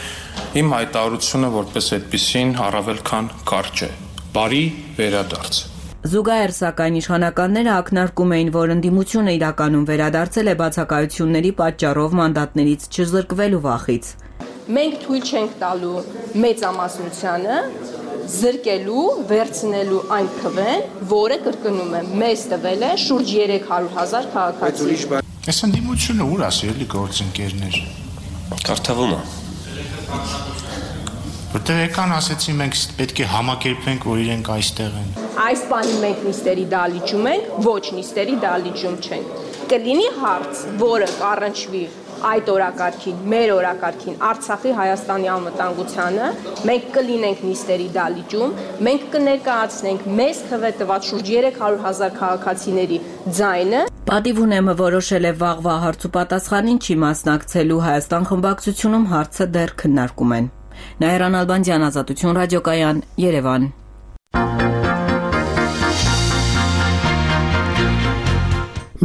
իմ հայտարարությունը որպես այդպիսին առավել քան կարճ է։ Բարի վերադարձ։ Զուգահեռ սակայն իշխանականները ակնարկում էին, որ ընդդիմությունը իրականում վերադարձել է բացակայությունների պատճառով մանդատներից չզրկվելու վախից։ Մենք թույլ չենք տալու մեծամասնությանը զրկելու, վերցնելու այն քվեն, որը կրկնում եմ, մեզ տվել է շուրջ երեք հարյուր հազար քաղաքացի։ Այս ընդդիմությունը ուր է, սիրելի գործընկերներ։ Կարդավում է։ Որտեղ եկան ասեցին մենք պետք է համակերպվենք, որ իրենք այստեղ են։ Այս բանի մենք նիստերի դալիճում ենք, ոչ նիստերի դալիճում չենք։ Կլինի հարց, որը կառնչվի այդ օրակարգին, մեր օրակարգին, Արցախի Հայաստանի անվտանգությանը, մենք կլինենք նիստերի դալիճում, մենք կներկայացնենք մեզ քվե տված շուրջ երեք հարյուր հազար քաղաքացիների ձայնը։ Պատիվ ունեմը որոշել է վաղվա հարց ու պատասխանին չի մասնակցելու, Հայաստան խմբակցությունում հարցը դեռ քննարկում են։ Նայիրան Ալբանդյան, Ազատություն ռադիոկայան, Երևան։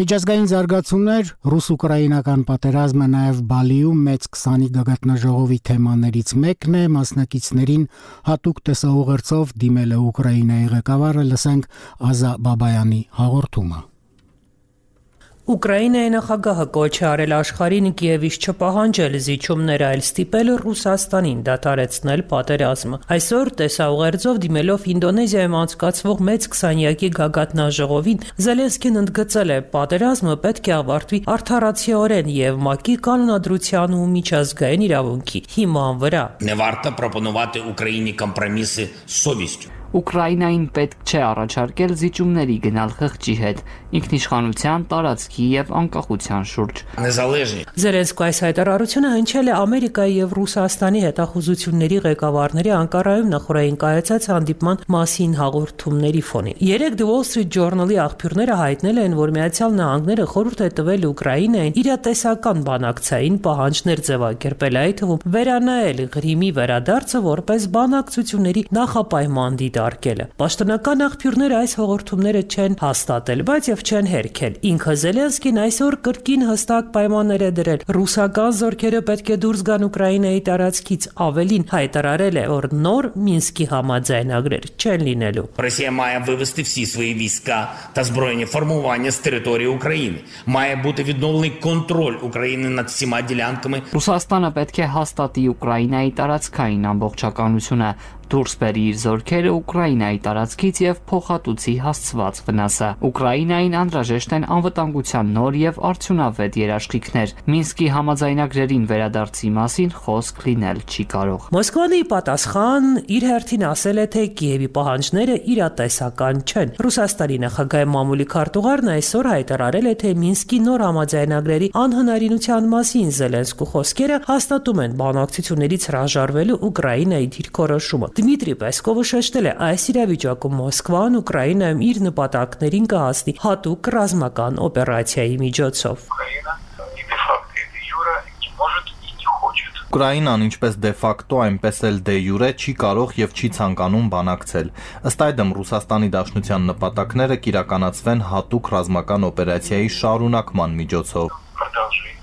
Միջազգային զարգացումներ, ռուս-ուկրաինական պատերազմը նաև Բալիում մեծ քսանի գագաթնաժողովի թեմաներից մեկն է, մասնակիցներին հատուկ տեսաուղերձով դիմել է Ուկրաինայի ղեկավարը, լսենք Ազա Բաբայանի հաղորդումը։ Ուկրաինայի նախագահը կոչ է արել աշխարհին Կիևից չպահանջել զիջումներ, այլ ստիպել Ռուսաստանին դադարեցնել պատերազմը։ Այսօր տեսաուղերձով դիմելով Ինդոնեզիայում անցկացվող մեծ քսանյակի գագաթնաժողովին Զելենսկին ընդգծել է, պատերազմը պետք է ավարտվի արդարացիորեն եւ ՄԱԿ-ի կանոնադրության ու միջազգային իրավունքի հիման վրա։ Не варто пропонувати Україні компроміси з совістю. Ուկրաինային պետք չէ առաջարկել զիջումների գնալ խղճի հետ, ինքնիշխանության, տարածքի եւ անկախության շուրջ։ Զելենսկու այս հայտարարությունը հնչել է Ամերիկայի եւ Ռուսաստանի հետախուզությունների ղեկավարների Անկարայում նախորդային կայացած հանդիպման մասին հաղորդումների ֆոնին։ Երեկ The Wall Street Journal-ի աղբյուրները հայտնել են, որ Միացյալ Նահանգները խորհուրդ է տվել Ուկրաինային իրատեսական բանակցային պահանջներ ձևակերպել, այդ թվում վերանայել Ղրիմի վերադարձը որպես բանակցությունների նախապայման դիտարկելը։ Պաշտոնական աղբյուրները այս հաղորդումները չեն հաստատել, բայց եւ չեն հերքել։ Ինքը Զելենսկին այսօր կրկին հստակ պայմաններ է դրել։ Ռուսական զորքերը պետք է դուրս գան Ուկրաինայի տարածքից, ավելին հայտարարել է, որ нор Мінські համաձայնագրեր չեն լինելու։ Росія має вивести всі свої війська та збройні формування з території України. Має бути відновлений контроль України над всіма ділянками. Ռուսաստանը պետք է հաստատի Ուկրաինայի տարածքային ամբողջականությունը, դուրս բերի իր զորքերը Ուկրաինայի տարածքից եւ փոխհատուցի հասցված վնասը։ Ուկրաինային անհրաժեշտ են անվտանգության նոր եւ արդյունավետ երաշխիքներ։ Մինսկի համաձայնագրերին վերադարձի մասին խոսք լինել չի կարող։ Մոսկվան ի պատասխան իր հերթին ասել է, թե Կիևի պահանջները իրատեսական չեն։ Ռուսաստանի նախագահի մամուլի քարտուղարն այսօր հայտարարել է, թե Մինսկի նոր համաձայնագրերի անհնարինության մասին Զելենսկու խոսքերը հաստատում են բանակցություններից հրաժարվելու Ուկրաինայի դիրքորոշումը։ Դմիտրի Պեսկովը շեշտել է, այս իրավիճակում Մոսկվան Ուկրաինայում իր նպատակներին կհասնի հատուկ ռազմական օպերացիայի միջոցով։ Ուկրաինան ինչպես դե ֆակտո, այնպես էլ դե յուրե չի կարող եւ չի ցանկանում բանակցել։ Ըստ այդմ Ռուսաստանի Դաշնության նպատակները կիրականացվեն հատուկ ռազմական օպերացիայի շարունակման միջոցով։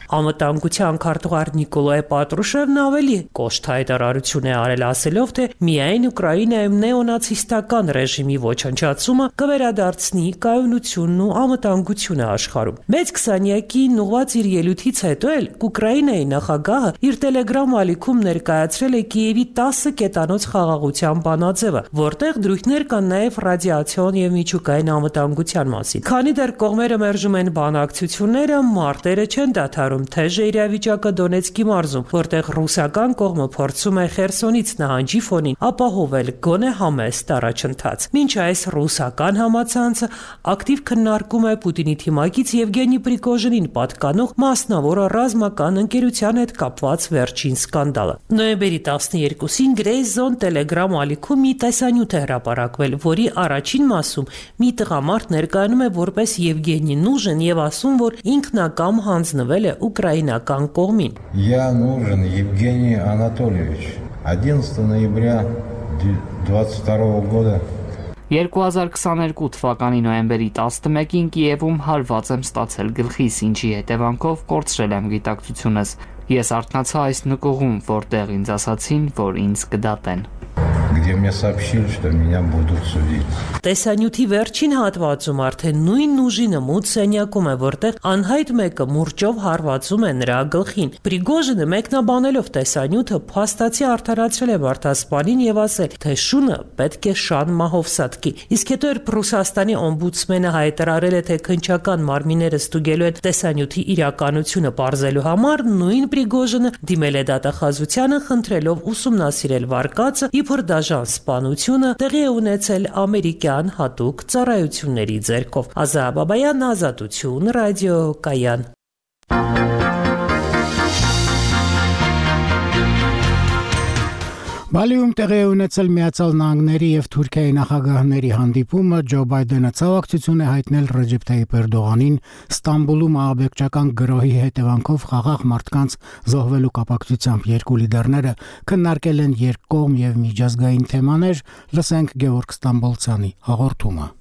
Անվտանգության քարտուղար Նիկոլայ Պատրուշևն ավելի կոշտ հայտարարություն է արել, ասելով, թե միայն Ուկրաինայում նեոնացիստական ռեժիմի ոչնչացումը կվերադարձնի կայունությունն ու անվտանգությունը աշխարհում։ Մեծ քսանյակին ուղղված իր ելույթից հետո էլ Ուկրաինայի նախագահը իր Telegram ալիքում ներկայացրել է Կիևի տասը կետանոց խաղաղության բանաձևը, որտեղ դրույթներ կան նաև ռադիացիոն եւ միջուկային անվտանգության մասին։ Քանի դեռ կողմերը մերժում են բանակցությունները, մարտերը չեն դադարում։ Թեժ է իրավիճակը Դոնեցկի մարզում, որտեղ ռուսական կողմը փորձում է Խերսոնից նահանջի ֆոնին ապահովել գոնե համեստ առաջընթաց։ Մինչ այս ռուսական համացանցը ակտիվ քննարկում է Պուտինի թիմակից Եվգենի Պրիգոժինին պատկանող մասնավոր ռազմական ընկերության հետ կապված վերջին սկանդալը։ Նոյեմբերի տասներկուսին Gray Zone Telegram ալիքում մի տեսանյութ է հրապարակվել, որի առաջին մասում մի տղամարդ ներկայանում է որպես Եվգենի Նուժին եւ ասում, որ ինքնակամ հանձնվել է Ուկրաինական կողմին։ Я нужен Евгений Анатольевич. одиннадцатого ноября двадцать второго года երկու հազար քսաներկու թվականի նոյեմբերի տասնմեկին Կիևում հարված եմ ստացել գլխիս, ինչի հետևանքով կորցրել եմ գիտակցությունս։ Ես արթնացա այս նկուղում, որտեղ ինձ ասացին, որ ինձ կդատեն։ где мне сообщили, что меня будут судить. Տեսանյութի վերջին հատվածում արդեն նույն ուժինը մութ սենյակում է, որտեղ անհայտ մեկը մուրճով հարվածում է նրա գլխին։ Պրիգոժինը մեկնաբանելով տեսանյութը փաստացի արդարացրել է մարդասպանին եւ ասել, թե շունը պետք է շան մահով սատկի։ Իսկ հետո էր Ռուսաստանի օմբուդսմենը հայտարարել է, թե քնչական մարմինները ստուգելու են տեսանյութի իրականությունը պարզելու համար, նույն Պրիգոժինը դիմել է դատախազությանը, խնդրելով ուսումնասիրել վարկածը, իբր դաժան սպանությունը տեղի է ունեցել ամերիկյան հատուկ ծառայությունների ձեռքով։ Ազա Բաբայան, Ազատություն, ռադիոկայան։ Բալիում տեղի է ունեցել Միացյալ Նահանգների եւ Թուրքիայի նախագահների հանդիպումը, Ջո Բայդենը ցավակցություն է հայտնել Ռեջեփ Թայիփ Էրդողանին Ստամբուլում ահաբեկչական գրոհի հետևանքով խաղաղ մարդկանց զոհվելու կապակցությամբ երկու լիդերները քննարկել են երկկողմ եւ միջազգային թեմաներ, լսենք Գևորգ Ստամբոլցյանի հաղորդումը։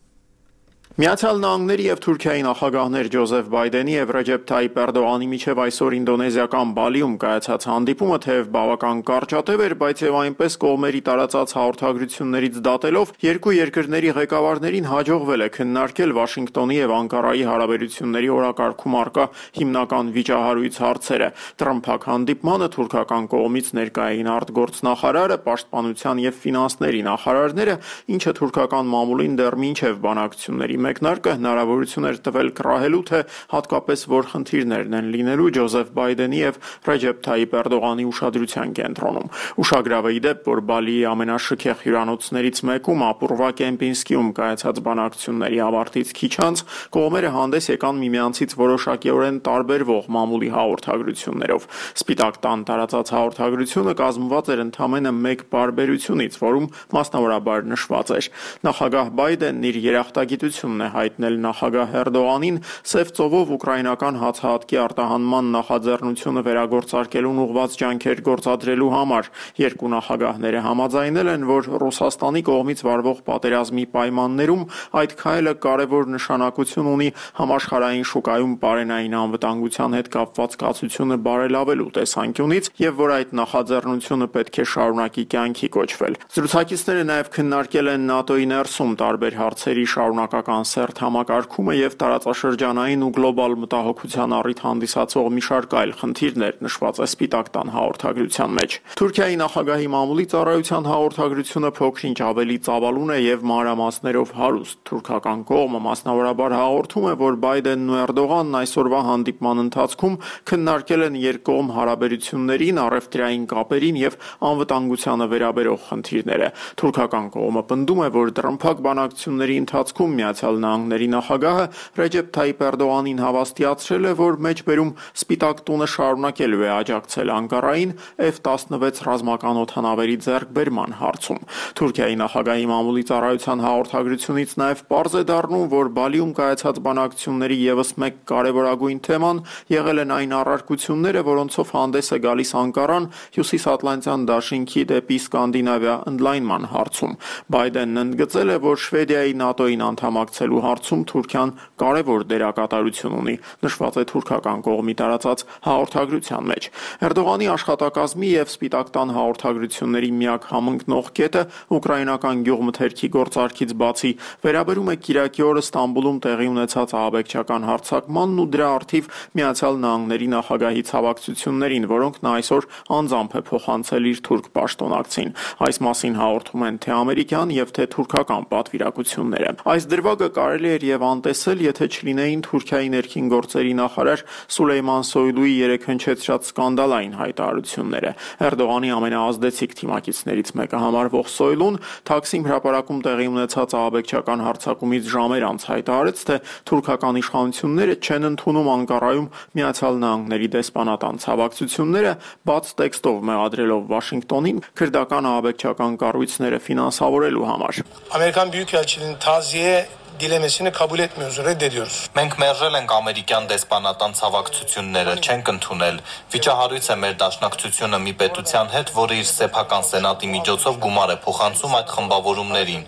Միացյալ Նահանգների եւ Թուրքիայի նախագահներ Ջոզեֆ Բայդենի եւ Ռեջեփ Թայիփ Էրդողանի միջև այսօր ինդոնեզիական Բալիում կայացած հանդիպումը թեև բավական կարճատև էր, բայց եւ այնպես կողմերի տարածած հաղորդագրություններից դատելով երկու երկրների ղեկավարներին հաջողվել է քննարկել Վաշինգտոնի եւ Անկարայի հարաբերությունների օրակարգում առկա հիմնական վիճահարույց հարցերը։ Տրամփակ հանդիպմանը թուրքական կողմից ներկայ էին արտգործնախարարը, պաշտպանության եւ ֆինանսների նախարարները, ինչը թուրքական մամուլին դեռ մինչեւ բանակցությունների մեկնարկը հնարավորություն էր տվել կռահելու, թե հատկապես որ խնդիրներն են լինելու Ջոզեֆ Բայդենի եւ Ռեջեփ Թայիփ Էրդողանի ուշադրության կենտրոնում։ Ուշագրավ է ի դեպ, որ Բալիի ամենաշքեղ հյուրանոցներից մեկում ապուրվա Կեմպինսկիում կայացած բանակցությունների ավարտից քիչ անց կողմերը հանդես եկան միմյանցից որոշակիորեն տարբերվող մամուլի հաղորդագրություններով։ Սպիտակ տան տարածած հաղորդագրությունը կազմված էր ընդամենը մեկ պարբերությունից, որում մասնավորաբար նշված էր. նախագահ Բայդենն իր երախտագիտությունն է հայտնել նախագահ Էրդողանին Սև ծովով ուկրաինական հացահատկի արտահանման նախաձեռնությունը վերագործարկելուն ուղղված ջանքեր գործադրելու համար։ Երկու նախագահները համաձայնել են, որ Ռուսաստանի կողմից վարվող պատերազմի պայմաններում այդ քայլը կարևոր նշանակություն ունի համաշխարհային շուկայում պարենային անվտանգության հետ կապված կացությունը բարելավելու տեսանկյունից եւ որ այդ նախաձեռնությունը պետք է շարունակի կյանքի կոչվել։ Զրուցակիցները նաեւ քննարկել են ՆԱՏՕ-ի ներսում տարբեր հարցերի շարունակական սերտ համակարգումը եւ տարածաշրջանային ու գլոբալ մտահոգության առիթ հանդիսացող մի շարք այլ խնդիրներ, նշված է Սպիտակ տան հաղորդագրության մեջ։ Թուրքիայի նախագահի մամուլի ծառայության հաղորդագրությունը փոքր-ինչ ավելի ծավալուն է եւ մանրամասներով հարուստ։ Թուրքական կողմը մասնավորաբար հաղորդում է, որ Բայդենն ու Էրդողանն այսօրվա հանդիպման ընթացքում քննարկել են երկկողմ հարաբերություններին, առևտրային կապերին եւ անվտանգությանը վերաբերող խնդիրները։ Թուրքական կողմը պնդում է, որ դռնփակ բանակցությունների ընթացքում Միացյալ Նահանգների նախագահը Ռեջեփ Թայիփ Էրդողանին հավաստիացրել է, որ մեջբերում Սպիտակ տունը շարունակելու է աջակցել Անկարային Էֆ տասնվեց ռազմական օդանավերի ձեռքբերման հարցում։ Թուրքիայի նախագահի մամուլի ծառայության հաղորդագրությունից նաև պարզ է դառնում, որ Բալիում կայացած բանակցությունների ևս մեկ կարևորագույն թեման եղել են այն առարկությունները, որոնցով հանդես է գալիս Անկարան Հյուսիսատլանտյան դաշինքի դեպի Սկանդինավիա ընդլայնման հարցում։ Բայդենն ընդգծել է, որ Շվեդիայի ՆԱՏՕ-ին անդամակցելու հարցում Թուրքիան կարևոր դերակատարություն ունի, նշված է թուրքական կողմի տարածած հաղորդագրության մեջ։ Էրդողանի աշխատակազմի եւ Սպիտակ տան հաղորդագրությունների միակ համընկնող կետը ուկրաինական գյուղմթերքի գործարքից բացի վերաբերում է Կիրակի օրը Ստամբուլում տեղի ունեցած ահաբեկչական հարձակմանն ու դրա առթիվ Միացյալ Նահանգների նախագահի ցավակցություններին, որոնք նա այսօր անձամբ է փոխանցել իր թուրք պաշտոնակցին։ Այս մասին հաղորդում են թե ամերիկյան եւ թե թուրքական պատվիրակությունները։ Այս դրվագը կարելի էր եւ անտեսել, եթե չլինեին Թուրքիայի ներքին գործերի նախարար Սուլեյման Սոյլուի երեք հնչեցրած սկանդալային հայտարարությունները։ Էրդողանի ամենաազդեցիկ թիմակիցներից մեկը համարվող Սոյլուն Թաքսիմ հրապարակում տեղի ունեցած ահաբեկչական հարձակումից ժամեր անց հայտարարեց, թե թուրքական իշխանությունները չեն ընդունում Անկարայում Միացյալ Նահանգների դեսպանատան ցավակցությունները, բաց տեքստով մեղադրելով Վաշինգտոնին քրդական ահաբեկչական կառույցները ֆինանսավորելու համար։ Amerikan Büyükelçiliğinin taziye dilemesini kabul etmiyoruz, reddediyoruz. Մենք մերժել ենք ամերիկյան դեսպանատան ցավակցությունները, չենք ընդունել։ Վիճահարույց է մեր դաշնակցությունը մի պետության հետ, որը իր սեփական սենատի միջոցով գումար է փոխանցում այդ խմբավորումներին։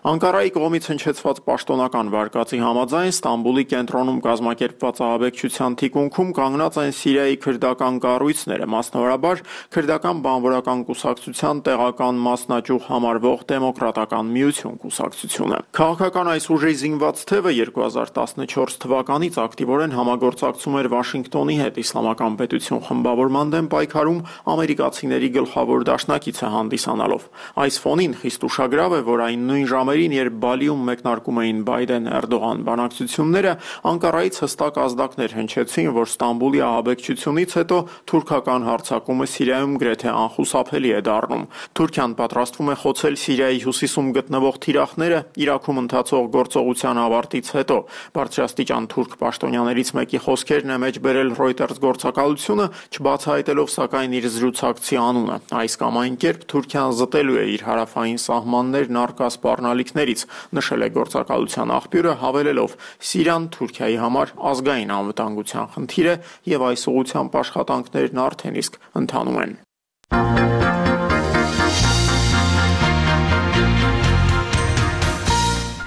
Անկարայի կողմից հնչեցված պաշտոնական վարկածի համաձայն Ստամբուլի կենտրոնում կազմակերպված ահաբեկչության թիկունքում կանգնած են Սիրիայի քրդական կառույցները, մասնավորաբար քրդական բանվորական կուսակցության տեղական մասնաճյուղ համարվող Դեմոկրատական միություն կուսակցությունը։ Քաղաքական այս ուժի զինված թևը երկու հազար տասնչորս թվականից ակտիվորեն համագործակցում էր Վաշինգտոնի հետ իսլամական պետություն խմբավորման դեմ պայքարում ամերիկացիների գլխավոր դաշնակիցը հանդիսանալով։ Այս ֆոնին խիստ ուշագրավ է, որ այն նույն ժամերին, երբ Բալիում մեկնարկում էին Բայդեն-Էրդողան բանակցությունները, Անկարայից հստակ ազդակներ հնչեցին, որ Ստամբուլի ահաբեկչությունից հետո թուրքական հարձակումը Սիրիայում գրեթե անխուսափելի է դառնում։ Թուրքիան պատրաստվում է խոցել Սիրիայի հյուսիսում գտնվող թիրախները Իրաքում ընթացող գործողության ավարտից հետո։ Բարձրաստիճան թուրք պաշտոնյաներից մեկի խոսքերն է մեջ բերել Reuters գործակալությունը, չբացահայտելով սակայն իր զրուցակցի անունը։ Այս կամ այն կերպ Թուրքիան զտելու է իր հարավային սահմաններն առկա սպառնալիքներից, նշել է գործակալության աղբյուրը, հավելելով. Սիրիան Թուրքիայի համար ազգային անվտանգության խնդիր է եւ այս ուղղությամբ աշխատանքներն արդեն իսկ ընթանում են։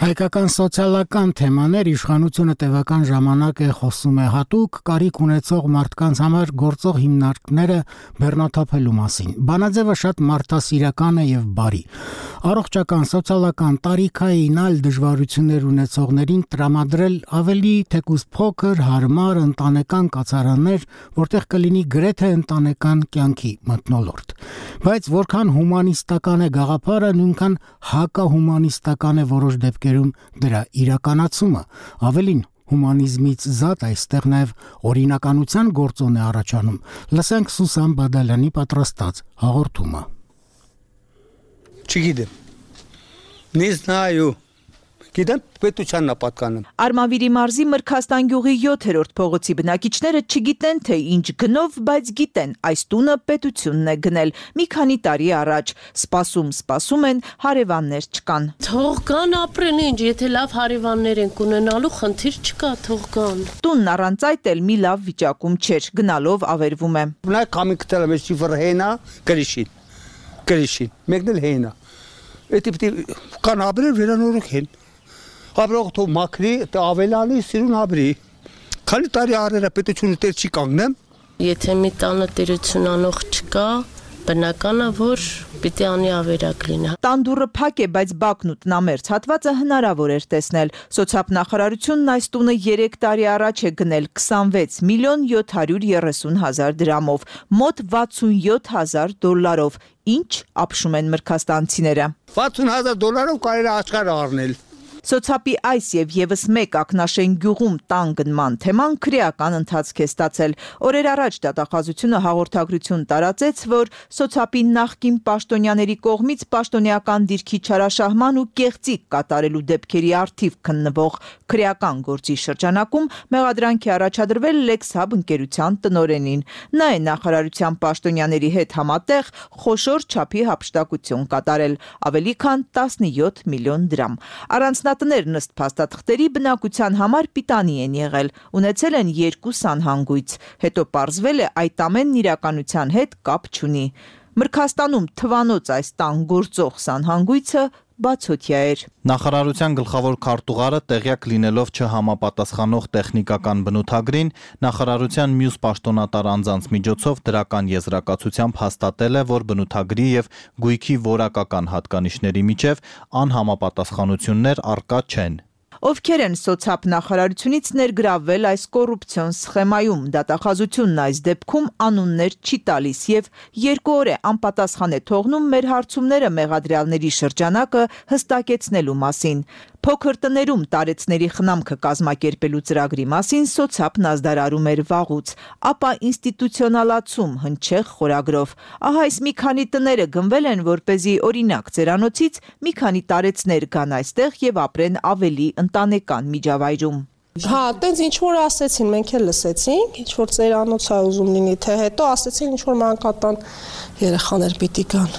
Հայկական սոցիալական թեմաներ իշխանությունը տևական ժամանակ է խոսում է հատուկ կարիք ունեցող մարդկանց համար գործող հիմնարկները բեռնաթափելու մասին։ Բանաձևը շատ մարդասիրական է եւ բարի։ Առողջական, սոցիալական, տարիքային այլ դժվարություններ ունեցողներին տրամադրել ավելի թեկուզ փոքր, հարմար ընտանեկան կացարաններ, որտեղ կլինի գրեթե ընտանեկան կյանքի մթնոլորտ։ Բայց որքան հումանիստական է գաղափարը, նույնքան հակահումանիստական է որոշ դեպքեր դեպքերում դրա իրականացումը, ավելին հումանիզմից զատ այստեղ նաև օրինականության գործոն է առաջանում։ Լսենք Սուսան Բադալյանի պատրաստած հաղորդումը։ Չգիտեմ։ Նիզնայու Գիտեմ, պետությանն է պատկանում։ Արմավիրի մարզի Մրգաստան գյուղի յոթերորդ փողոցի բնակիչները չգիտեն, թե ինչ գնով, բայց գիտեն, այս տունը պետությունն է գնել մի քանի տարի առաջ։ Սպասում, սպասում են, հարևաններ չկան։ Թող կան ապրեն ինչ, եթե լավ հարևաններ են ունենալու, խնդիր չկա, թող կան։ Տունն առանց այդ էլ մի լավ վիճակում չէր, գնալով ավերվում է։ Մնայք կամի կտել եմ, ես շիվր հենա, կրիշին, կրիշին, մեկն էլ հենա։ Էդի պիտի կան ապրել վերանորոգ հեն։ Ապրող թող մաքրի, ավելանի սիրուն ապրի։ Քանի տարի առերը պետությունը տեր չի կանգնեմ։ Եթե մի տանը տերություն անող չկա, բնական է, որ պիտի անի ավերակ լինի։ Տան դուռը փակ է, բայց բակն ու տնամերձ հատվածը հնարավոր էր տեսնել։ Սոցիալնախարարությունն այս տունը երեք տարի առաջ է գնել քսանվեց միլիոն յոթ հարյուր երեսուն հազար դրամով, մոտ վաթսունյոթ հազար դոլարով։ Ինչ ապշում են մրգաստանցիները։ վաթսուն հազար դոլարով կարելի է աշխարհ առնել։ Սոցիալի այս եւ եւս մեկ Ակնաշեն գյուղում տան գնման թեման քրեական ընթացք է ստացել։ Օրեր առաջ դատախազությունը հաղորդագրություն տարածեց, որ սոցիալի նախկին պաշտոնյաների կողմից պաշտոնեական դիրքի չարաշահման ու կեղծիք կատարելու դեպքերի արդիվ քննվող քրեական գործի շրջանակում մեղադրանք է առաջադրվել Lexhub ընկերության տնօրենին։ Նա է նախարարության պաշտոնյաների հետ համատեղ խոշոր չափի հափշտակություն կատարել, ավելի քան տասնյոթ միլիոն դրամ։ Առանձնատներն ըստ փաստաթղթերի բնակության համար պիտանի են եղել, ունեցել են երկու սանհանգույց, հետո պարզվել է այդ ամենն իրականության հետ կապ չունի։ Մրգաստանում թվանոց այս տան գործող սանհանգույցը բացօթյա էր։ Նախարարության գլխավոր քարտուղարը տեղյակ լինելով չհամապատասխանող տեխնիկական բնութագրին, նախարարության մյուս պաշտոնատար անձանց միջոցով դրական եզրակացությամբ հաստատել է, որ բնութագրի եւ գույքի որակական հատկանիշների միջև անհամապատասխանություններ առկա չեն։ Ովքեր են սոցիալ նախարարությունից ներգրավվել այս կոռուպցիոն սխեմայում, դատախազությունն այս դեպքում անուններ չի տալիս եւ երկու օր է անպատասխան է թողնում մեր հարցումները մեղադրյալների շրջանակը հստակեցնելու մասին։ Փոքր տներում տարեցների խնամքը կազմակերպելու ծրագրի մասին սոցիալն ազդարարում էր վաղուց, ապա ինստիտուցիոնալացում հնչեղ խորագրով։ Ահա այս մի քանի տները գնվել են, որպեսզի օրինակ ծերանոցից մի քանի տարեցներ գան այստեղ եւ ապրեն ավելի ընտանեկան միջավայրում։ Հա, տենց ինչ որ ասեցին, մենք էլ լսեցինք, ինչ որ ծերանոց է ուզում լինի, թե հետո ասեցին ինչ որ մանկատան երեխաներ պիտի գան։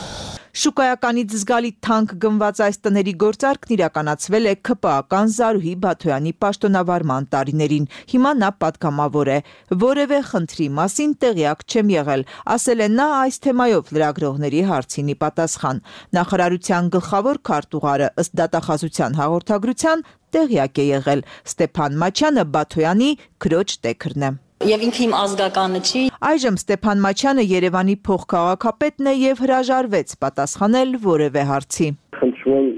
Շուկայականից զգալի թանկ գնված այս տների գործարքն իրականացվել է ՔՊԱ-ական Զարուհի Բաթոյանի պաշտոնավարման տարիներին։ Հիմա նա պատգամավոր է։ Որևէ խնդրի մասին տեղյակ չեմ եղել, ասել է նա այս թեմայով լրագրողների հարցինի պատասխան։ Նախարարության գլխավոր քարտուղարը ըստ դատախազության հաղորդագրության տեղյակ է եղել։ Ստեփան Մաչյանը Բաթոյանի քրոջ տեքրն է։ Եվ ինքը իմ ազգականը չի։ Այժմ Ստեփան Մաչյանը Երևանի փոխքաղաքապետն է եւ հրաժարվեց պատասխանել որևէ հարցի։ Խնդրում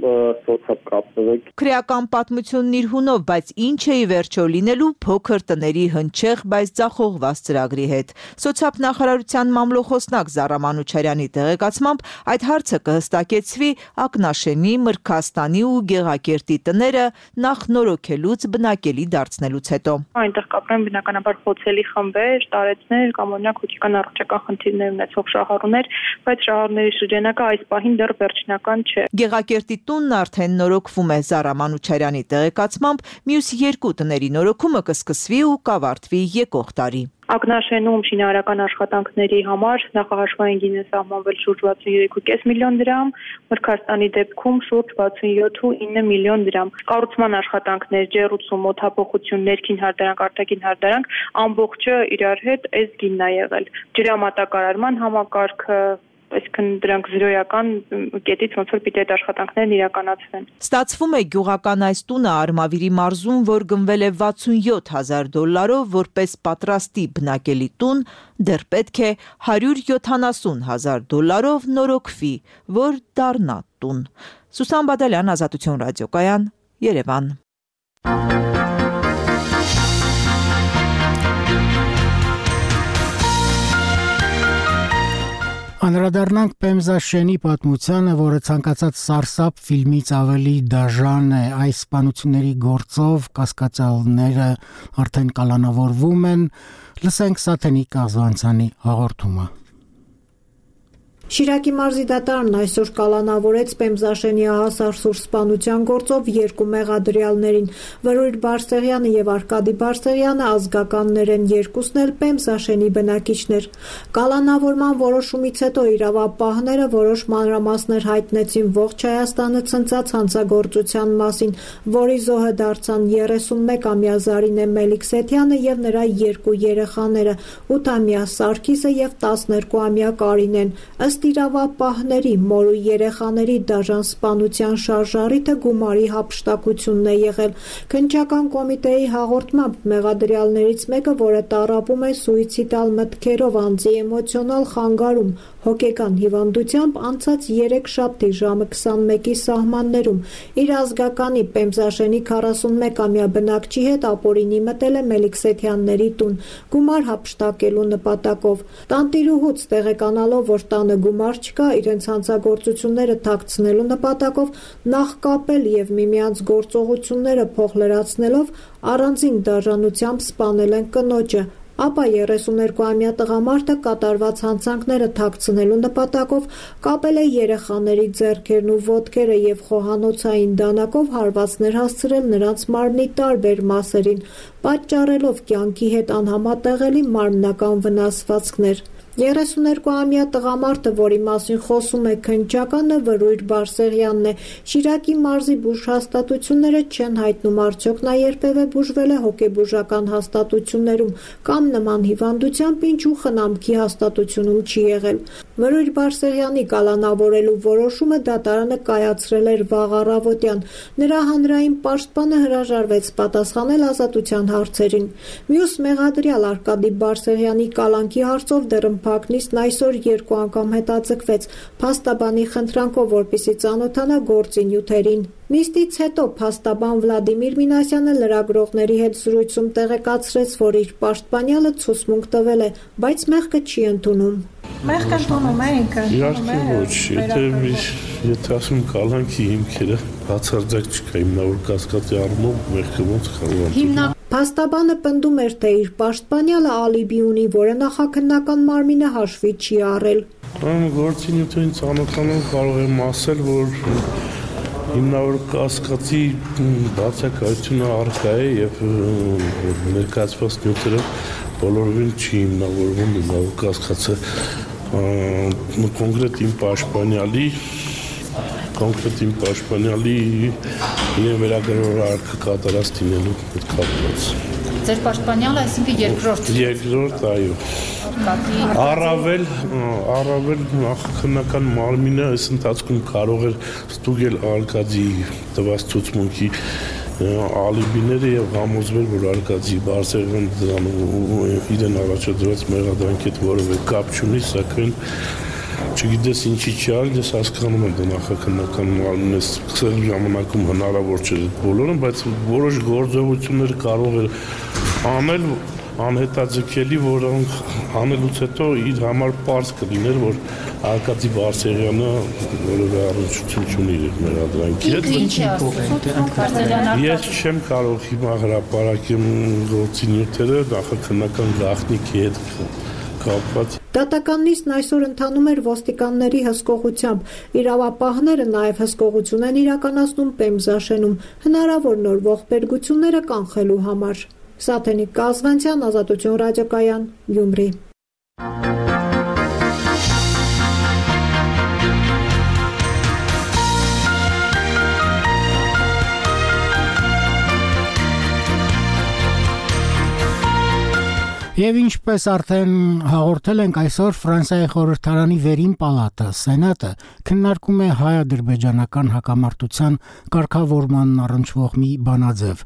սոցիալ կապնվեք։ Քրեական պատմությունն իր հունով, բայց ինչ է ի վերջո լինելու փոքր տների հնչեղ, բայց ձախողված ծրագրի հետ։ Սոցիալ նախարարության մամլոխոսնակ Զառա Մանուչարյանի տեղեկացմամբ այդ հարցը կհստակեցվի Ակնաշենի, Մրգաստանի ու Գեղակերտի տները նախ նորոգելուց բնակելի դարձնելուց հետո։ Այնտեղ կապրեն բնականաբար խոցելի խմբեր, տարեցներ կամ օրինակ հոգեկան առողջական խնդիրներ ունեցող շահառուներ, բայց շահառուների շրջանակը այս պահին դեռ վերջնական չէ։ Գեղակերտի տունն արդեն նորոգվում է Զառա Մանուչարյանի տեղեկացմամբ, մյուս երկու տների նորոգումը կսկսվի ու կավարտվի եկող տարի։ Ակնաշենում շինարարական աշխատանքների համար նախահաշվային գին է սահմանվել շուրջ վաթսունյոթ կես միլիոն դրամ, Մրգաստանի դեպքում շուրջ վաթսունյոթ կόμμα ինը միլիոն դրամ։ Կառուցման աշխատանքներ, ջեռուցում, օդափոխություն, ներքին հարդարանք, արտաքին հարդարանք, ամբողջը իրար հետ այս գինն է եղել։ Ջրամատակարարման համակարգը, այսինքն դրանք զրոյական կետից ոնց որ պիտի այդ աշխատանքներն իրականացվեն։ Ստացվում է գյուղական այս տունը Արմավիրի մարզում, որ գնվել է վաթսունյոթ հազար դոլարով, որպես պատրաստի բնակելի տուն, դեռ պետք է հարյուր յոթանասուն հազար դոլարով նորոգվի, որ դառնա տուն։ Սուսան Բադալյան, Ազատություն ռադիոկայան, Երևան։ Անդրադառնանք Պեմզաշենի պատմությանը, որը ցանկացած սարսափ ֆիլմից ավելի դաժան է։ Այս սպանությունների գործով կասկածյալները արդեն կալանավորվում են։ Լսենք Սաթենիկ Կազվանցյանի հաղորդումը։ Շիրակի մարզի դատարանն այսօր կալանավորեց Պեմզաշենի ահասարսուր սպանության գործով երկու մեղադրյալներին։ Վրույր Բարսեղյանը եւ Արկադի Բարսեղյանը ազգականներ են, երկուսն էլ Պեմզաշենի բնակիչներ։ Կալանավորման որոշումից հետո իրավապահները որոշ մանրամասներ հայտնեցին ողջ Հայաստանը ցնցած հանցագործության մասին, որի զոհը դարձան երեսունմեկամյա Զարինե Մելիքսեթյանը եւ նրա երկու երեխաները՝ ութամյա Սարգիսը եւ տասներկուամյա Կարինեն։ Ըստ իրավապահների, մոր ու երեխաների դաժան սպանության շարժառիթը գումարի հափշտակությունն է եղել։ Քննչական կոմիտեի հաղորդմամբ մեղադրյալներից մեկը, որը տառապում է սուիցիդալ մտքերով, անձի էմոցիոնալ խանգարում, հոգեկան հիվանդությամբ, անցած երեքշաբթի ժամը քսանմեկի սահմաններում իր ազգականի Պեմզաշենի քառասունմեկամյա բնակչի հետ ապօրինի մտել է Մելիքսեթյանների տուն գումար հափշտակելու նպատակով։ Տանտիրուհուց տեղեկանալով, որ տանը գումար չկա, իրենց հանցագործությունները թաքցնելու նպատակով նախ կապել եւ միմյանց գործողությունները փոխլրացնելով առանձին դաժանությամբ սպանել են կնոջը։ Ապա երեսուներկուամյա տղամարդը կատարված հանցանքները թաքցնելու նպատակով կապել է երեխաների ձեռքերն ու ոտքերը եւ խոհանոցային դանակով հարվածներ հասցրել նրանց մարմնի տարբեր մասերին, պատճառելով կյանքի հետ անհամատեղելի մարմնական վնասվածքներ։ երեսուներկուամյա տղամարդը, որի մասին խոսում է քննչականը, Վրույր Բարսեղյանն է։ Շիրակի մարզի բուժհաստատությունները չեն հայտնում արդյոք նա երբևէ բուժվել է հոգեբուժական հաստատություններում կամ նման հիվանդությամբ, ինչու խնամքի հաստատությունում չի եղել։ Վրույր Բարսեղյանի կալանավորելու որոշումը դատարանը կայացրել էր վաղ առավոտյան։ Նրա հանրային պաշտպանը հրաժարվեց պատասխանել ազատության հարցերին։ Մյուս մեղադրյալ Արկադի Բարսեղյանի կալանքի հարցով դեռ Փակնիստն այսօր երկու անգամ հետաձգվեց փաստաբանի խնդրանքով, որպեսզի ծանոթանա գործի նյութերին։ Նիստից հետո փաստաբան Վլադիմիր Մինասյանը լրագրողների հետ զրույցում տեղեկացրեց, որ իր պաշտպանյալը ցուցմունք տվել է, բայց մեղքը չի ընդունում։ Մեղքը ընդունում է ինքը։ Իհարկե ոչ, եթե եթե ասում կալանքի հիմքերը բացարձակ չկա, հիմնավոր կասկածի առումով մեղքը ոնց կարող է։ Փաստաբանը պնդում էր, թե իր պաշտպանյալը ալիբի ունի, որը նախաքննական մարմինը հաշվի չի առել։ Գործի նյութերին ծանոթանալով կարող եմ ասել, որ հիմնավոր կասկածի բացակայությունը առկա է եւ ներկայացված նյութերը բոլորովին չի հիմնավորվում հիմնավոր կասկածը կոնկրետ իմ պաշտպանյալի կոնկրետ իմ պաշտպանյալի իրեն վերագրավոր արքը կատարած դինելու հետ կապված։ Ձեր պաշտպանյալը այսինքն երկրորդ։ Երկրորդ, այո։ Առավել, առավել նախաքննական մարմինը այս ընթացքում կարող էր ստուգել Արկադի տված ցուցմունքի ալիբիները եւ համոզվել, որ Արկադի Բարսեղյանը իրեն առաջադրած մեղադրանքի հետ որևէ կապ չունի, սակայն չգիտես ինչի չի արել, ես հասկանում եմ դա նախաքննական մարմինը սկսել ժամանակում հնարավոր չէ բոլորը, բայց որոշ գործողություններ կարող էր անել անհետաձգելի, որոնք անելուց հետո իր համար պարզ կլիներ, որ Արկադի Բարսեղյանը որևէ առնչություն չունի իր մեղադրանքի հետ։ Ես չեմ կարող հիմա հրապարակեմ գործի նյութերը նախաքննական գաղտնիքի հետ կապված։ Դատական նիստն այսօր ընթանում էր ոստիկանների հսկողությամբ։ Իրավապահները նաև հսկողություն են իրականացնում Պեմզաշենում հնարավոր նոր ողբերգությունները կանխելու համար։ Սաթենիկ Կազվանցյան, Ազատություն ռադիոկայան, Գյումրի։ Եվ ինչպես արդեն հաղորդել ենք, այսօր Ֆրանսիայի խորհրդարանի վերին պալատը, Սենատը, քննարկում է հայ-ադրբեջանական հակամարտության կարգավորմանն առնչվող մի բանաձև։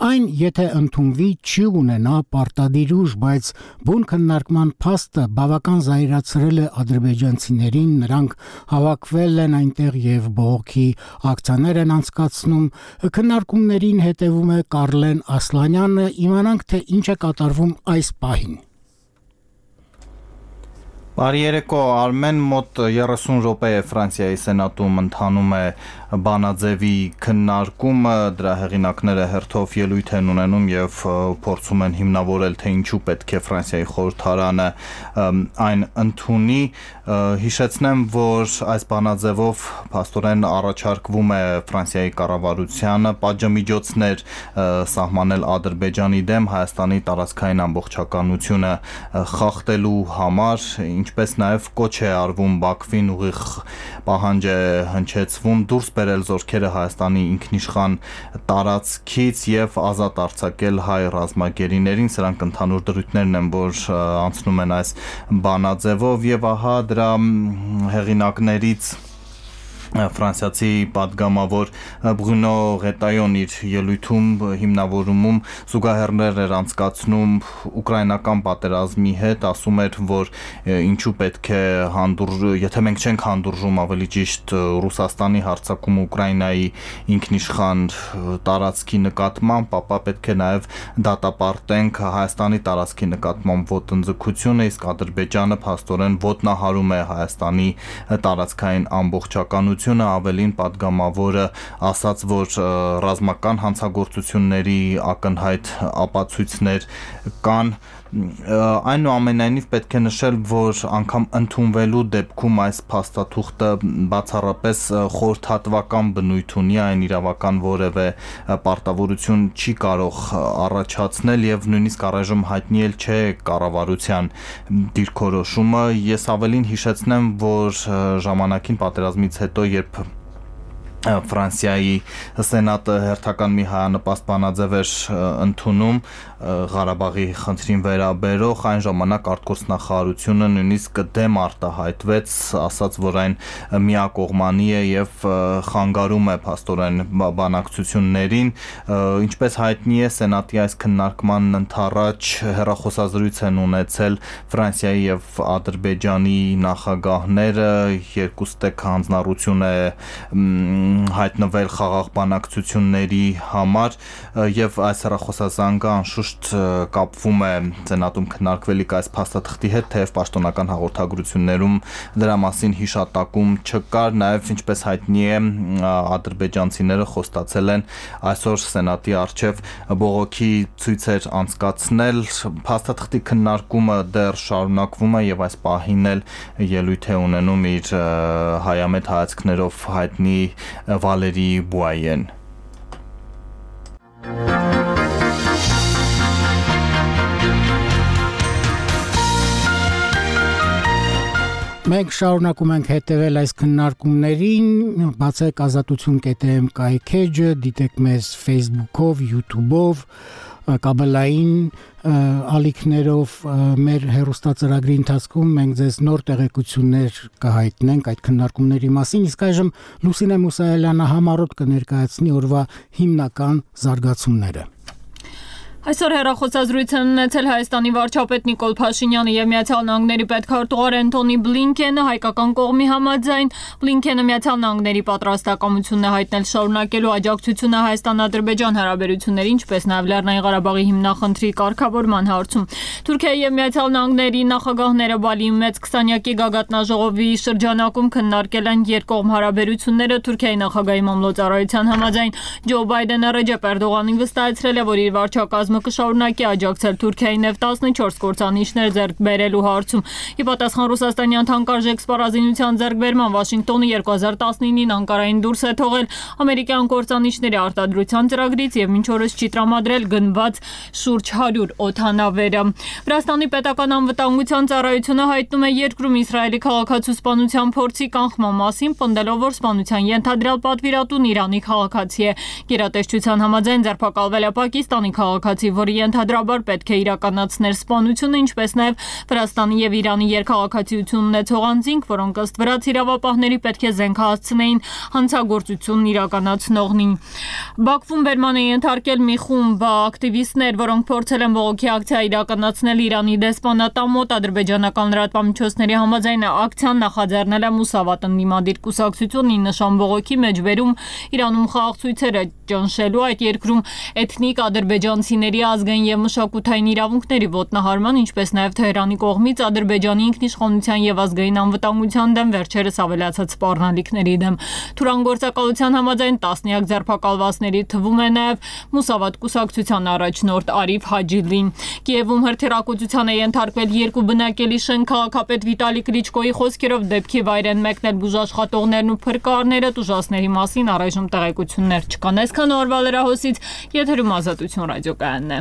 Այն, եթե ընդունվի, չի ունենա պարտադիր ուժ, բայց բուն քննարկման փաստը բավական զայրացրել է ադրբեջանցիներին, նրանք հավաքվել են այնտեղ եւ բողոքի ակցիաներ են անցկացնում։ Քննարկումներին հետևում է Կարլեն Ասլանյանը, իմանանք, թե ինչ է կատարվում այս պահին։ Բարի երեկո, Արմեն, մոտ երեսուն րոպե է Ֆրանսիայի սենատում ընթանում է բանաձևի քննարկումը, դրա հեղինակները հերթով ելույթ են ունենում եւ փորձում են հիմնավորել, թե ինչու պետք է Ֆրանսիայի խորհրդարանը այն ընդունի։ Հիշեցնեմ, որ այս բանաձևով փաստորեն առաջարկվում է Ֆրանսիայի կառավարությանը պատժամիջոցներ սահմանել Ադրբեջանի դեմ Հայաստանի տարածքային ամբողջականությունը խախտելու համար, ինչպես նաև կոչ է արվում Բաքվին, ուղիղ պահանջ է հնչեցվում դուրս բերել զորքերը Հայաստանի ինքնիշխան տարածքից եւ ազատ արձակել հայ ռազմագերիներին, սրանք ընդհանուր դրույթներն են, որ անցնում են այս բանաձևով եւ ահա դրա հեղինակներից Ֆրանսիացի պատգամավոր Բրունո Ղետայոն իր ելույթում հիմնավորումում զուգահեռներ էր անցկացնում ուկրաինական պատերազմի հետ, ասում էր, որ ինչու պետք է հանդուրժ, եթե մենք չենք հանդուրժում ավելի ճիշտ Ռուսաստանի հարձակումը Ուկրաինայի ինքնիշխան տարածքի նկատմամբ, ապա պետք է նաև դատապարտենք Հայաստանի տարածքի նկատմամբ ոտնձգությունը, իսկ Ադրբեջանը փաստորեն ոտնահարում է Հայաստանի տարածքային ամբողջականությունը, ավելին պատգամավորը ասաց, որ ռազմական հանցագործությունների ակնհայտ ապացույցներ կան, այնուամենայնիվ պետք է նշել, որ անգամ ընդունվելու դեպքում այս փաստաթուղթը բացառապես խորհրդատվական բնույթ ունի, այն իրավական որևէ պարտավորություն չի կարող առաջացնել եւ նույնիսկ առայժմ հայտնի էլ չէ կառավարության դիրքորոշումը։ Ես ավելին հիշեցնեմ, որ ժամանակին պատերազմից հետո, երբ Ֆրանսիայի սենատը հերթական մի հայանպաստ բանաձև էր ընդունում Ղարաբաղի խնդրին վերաբերող, այն ժամանակ արտգործնախարարությունը նույնիսկ դեմ արտահայտվեց, ասաց, որ այն միակողմանի է եւ խանգարում է փաստորեն բանակցություններին, ինչպես հայտնի է, սենատի այս քննարկման ընթառաջ հեռախոսազրույց են ունեցել Ֆրանսիայի եւ Ադրբեջանի նախագահները, երկուստեք հանձնառություն է հայտնվել խաղաղ բանակցությունների համար եւ այս հեռախոսազանգը անշուշտ կապվում է սենատում քննարկվելիք այս փաստաթղթի հետ, թեև պաշտոնական հաղորդագրություններում դրա մասին հիշատակում չկար, նաեւ ինչպես հայտնի է ադրբեջանցիները խոստացել են այսօր սենատի առջև բողոքի ցույցեր անցկացնել, փաստաթղթի քննարկումը դեռ շարունակվում է եւ այս պահին էլ ելույթ է ունենում իր հայամետ հայացքներով հայտնի Վալերի Բուայեն։ Մենք շարունակում ենք հետևել այս քննարկումներին, բացեք ազատություն կետ եմ կայքեջը, դիտեք մեզ Facebook-ով, YouTube-ով, կաբելային ալիքներով մեր հեռուստածրագրի ընթացքում մենք ձեզ նոր տեղեկություններ կհայտնենք այդ քննարկումների մասին, իսկ այժմ Լուսինե Մուսայելյանը համառոտ կներկայացնի օրվա հիմնական զարգացումները։ Այսօր հեռախոսազրույց են ունեցել Հայաստանի վարչապետ Նիկոլ Փաշինյանը եւ Միացյալ Նահանգների պետքարտուղար Անտոնի Բլինքենը, հայկական կողմի համաձայն Բլինքենը Միացյալ Նահանգների պատրաստակամությունն է հայտնել շարունակելու աջակցությունը Հայաստան-Ադրբեջան հարաբերությունների, ինչպես նաեւ Լեռնային Ղարաբաղի հիմնախնդրի կարգավորման հարցում։ Թուրքիայի եւ Միացյալ Նահանգների նախագահները Բալիում մեծ քսանյակի գագաթնաժողովի շրջանակում քննարկել են երկկողմ հարաբերությունները։ Թուրքիայի նախագահի մամլոյցարայության համաձայն Ջո Բայդենը Ռեջեփ Էրդողանին վստահեցրել է, որ իր վարչակազմը կշարունակի աջակցել Թուրքիայի նեֆտ տասնչորս կործանիչներ ձեռք բերելու հարցում։ Ի պատասխան ռուսաստանյան թանկարժեք սպառազինության ձեռքբերման Վաշինգտոնը երկու հազար տասնինին Անկարային դուրս է թողել ամերիկյան կործանիչների արտադրության ծրագրից եւ մինչ օրս չի տրամադրել գնված շուրջ հարյուր օդանավերը։ Վրաստանի պետական անվտանգության ծառայությունը հայտնում է երկրում Իսրայելի քաղաքացու սպանության փորձի կանխման մասին, պնդելով, որ սպանության ենթադրյալ պատվիրատուն Իրանի քաղաքացի է։ Գերատեսչության համաձայն ձերբակալվել է Պակիստանի քաղաքացի, որը ենթադրաբար պետք է իրականացներ սպանությունը, ինչպես նաև Վրաստանի եւ Իրանի երկխաղաքացիություն ունեցող անձինք, որոնք ըստ վրաց իրավապահների պետք է զենք հասցնեին հանցագործությունն իրականացնողին։ Բաքվում բերման է ենթարկել մի խումբ ակտիվիստներ, որոնք փորձել են բողոքի ակցիա իրականացնել Իրանի դեսպանատան մոտ։ Ադրբեջանական լրատվամիջոցների համաձայն ակցիան նախաձեռնել է Մուսավատ ընդդիմադիր կուսակցությունն ի նշան բողոքի մեջբերում Իրանում խաղաղ ցույցերը ճնշելու, այդ երկրում էթնիկ ադրբեջանցիների մուսուլմանների ազգային եւ մշակութային իրավունքների ոտնահարման, ինչպես նաեւ Թեհրանի կողմից Ադրբեջանի ինքնիշխանության եւ ազգային անվտանգության դեմ վերջերս ավելացած սպառնալիքների դեմ։ Թուրանգործակալության համաձայն տասնյակ ձերբակալվածների թվում է նաեւ Մուսավատ կուսակցության առաջնորդ Արիֆ Հաջիլին։ Կիևում հրթիռակոծության է ենթարկվել երկու բնակելի շենք, քաղաքապետ Վիտալի Կլիչկոյի խոսքերով դեպքի վայր են մեկնել բուժաշխատողներն ու փրկարները, տուժածների մասին առայժմ տեղեկություններ չկան։ Այսքան օրվա լրահոսից եթերում Ազատություն ռադիոկայանն է։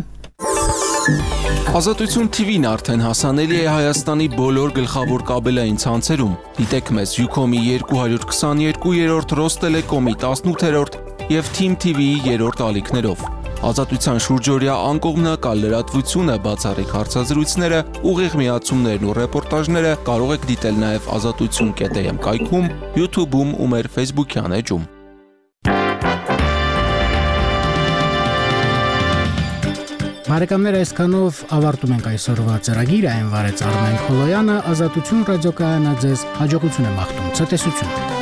Ազատություն T V-ն արդեն հասանելի է Հայաստանի բոլոր գլխավոր կաբելային ցանցերում։ Դիտեք մեզ Ucom-ի երկու հարյուր քսաներկու, Ռոստելեկոմի տասնութերորդ եւ Team T V-ի երրորդ ալիքներով։ Ազատության շուրջօրյա անկողմնակալ լրատվությունը, բացառիկ հարցազրույցները, ուղիղ միացումներն ու ռեպորտաժները կարող եք դիտել նաև ազատություն կետ am կայքում, YouTube-ում ու մեր Facebook-յան էջում։ Բարեկամներ, այսքանով ավարտում ենք այսօրվա ծրագիրը, այն վարեց Արմեն Խոլոյանը, Ազատություն ռադիոկայանը ձեզ հաջողություն է մաղթում, ցտեսություն։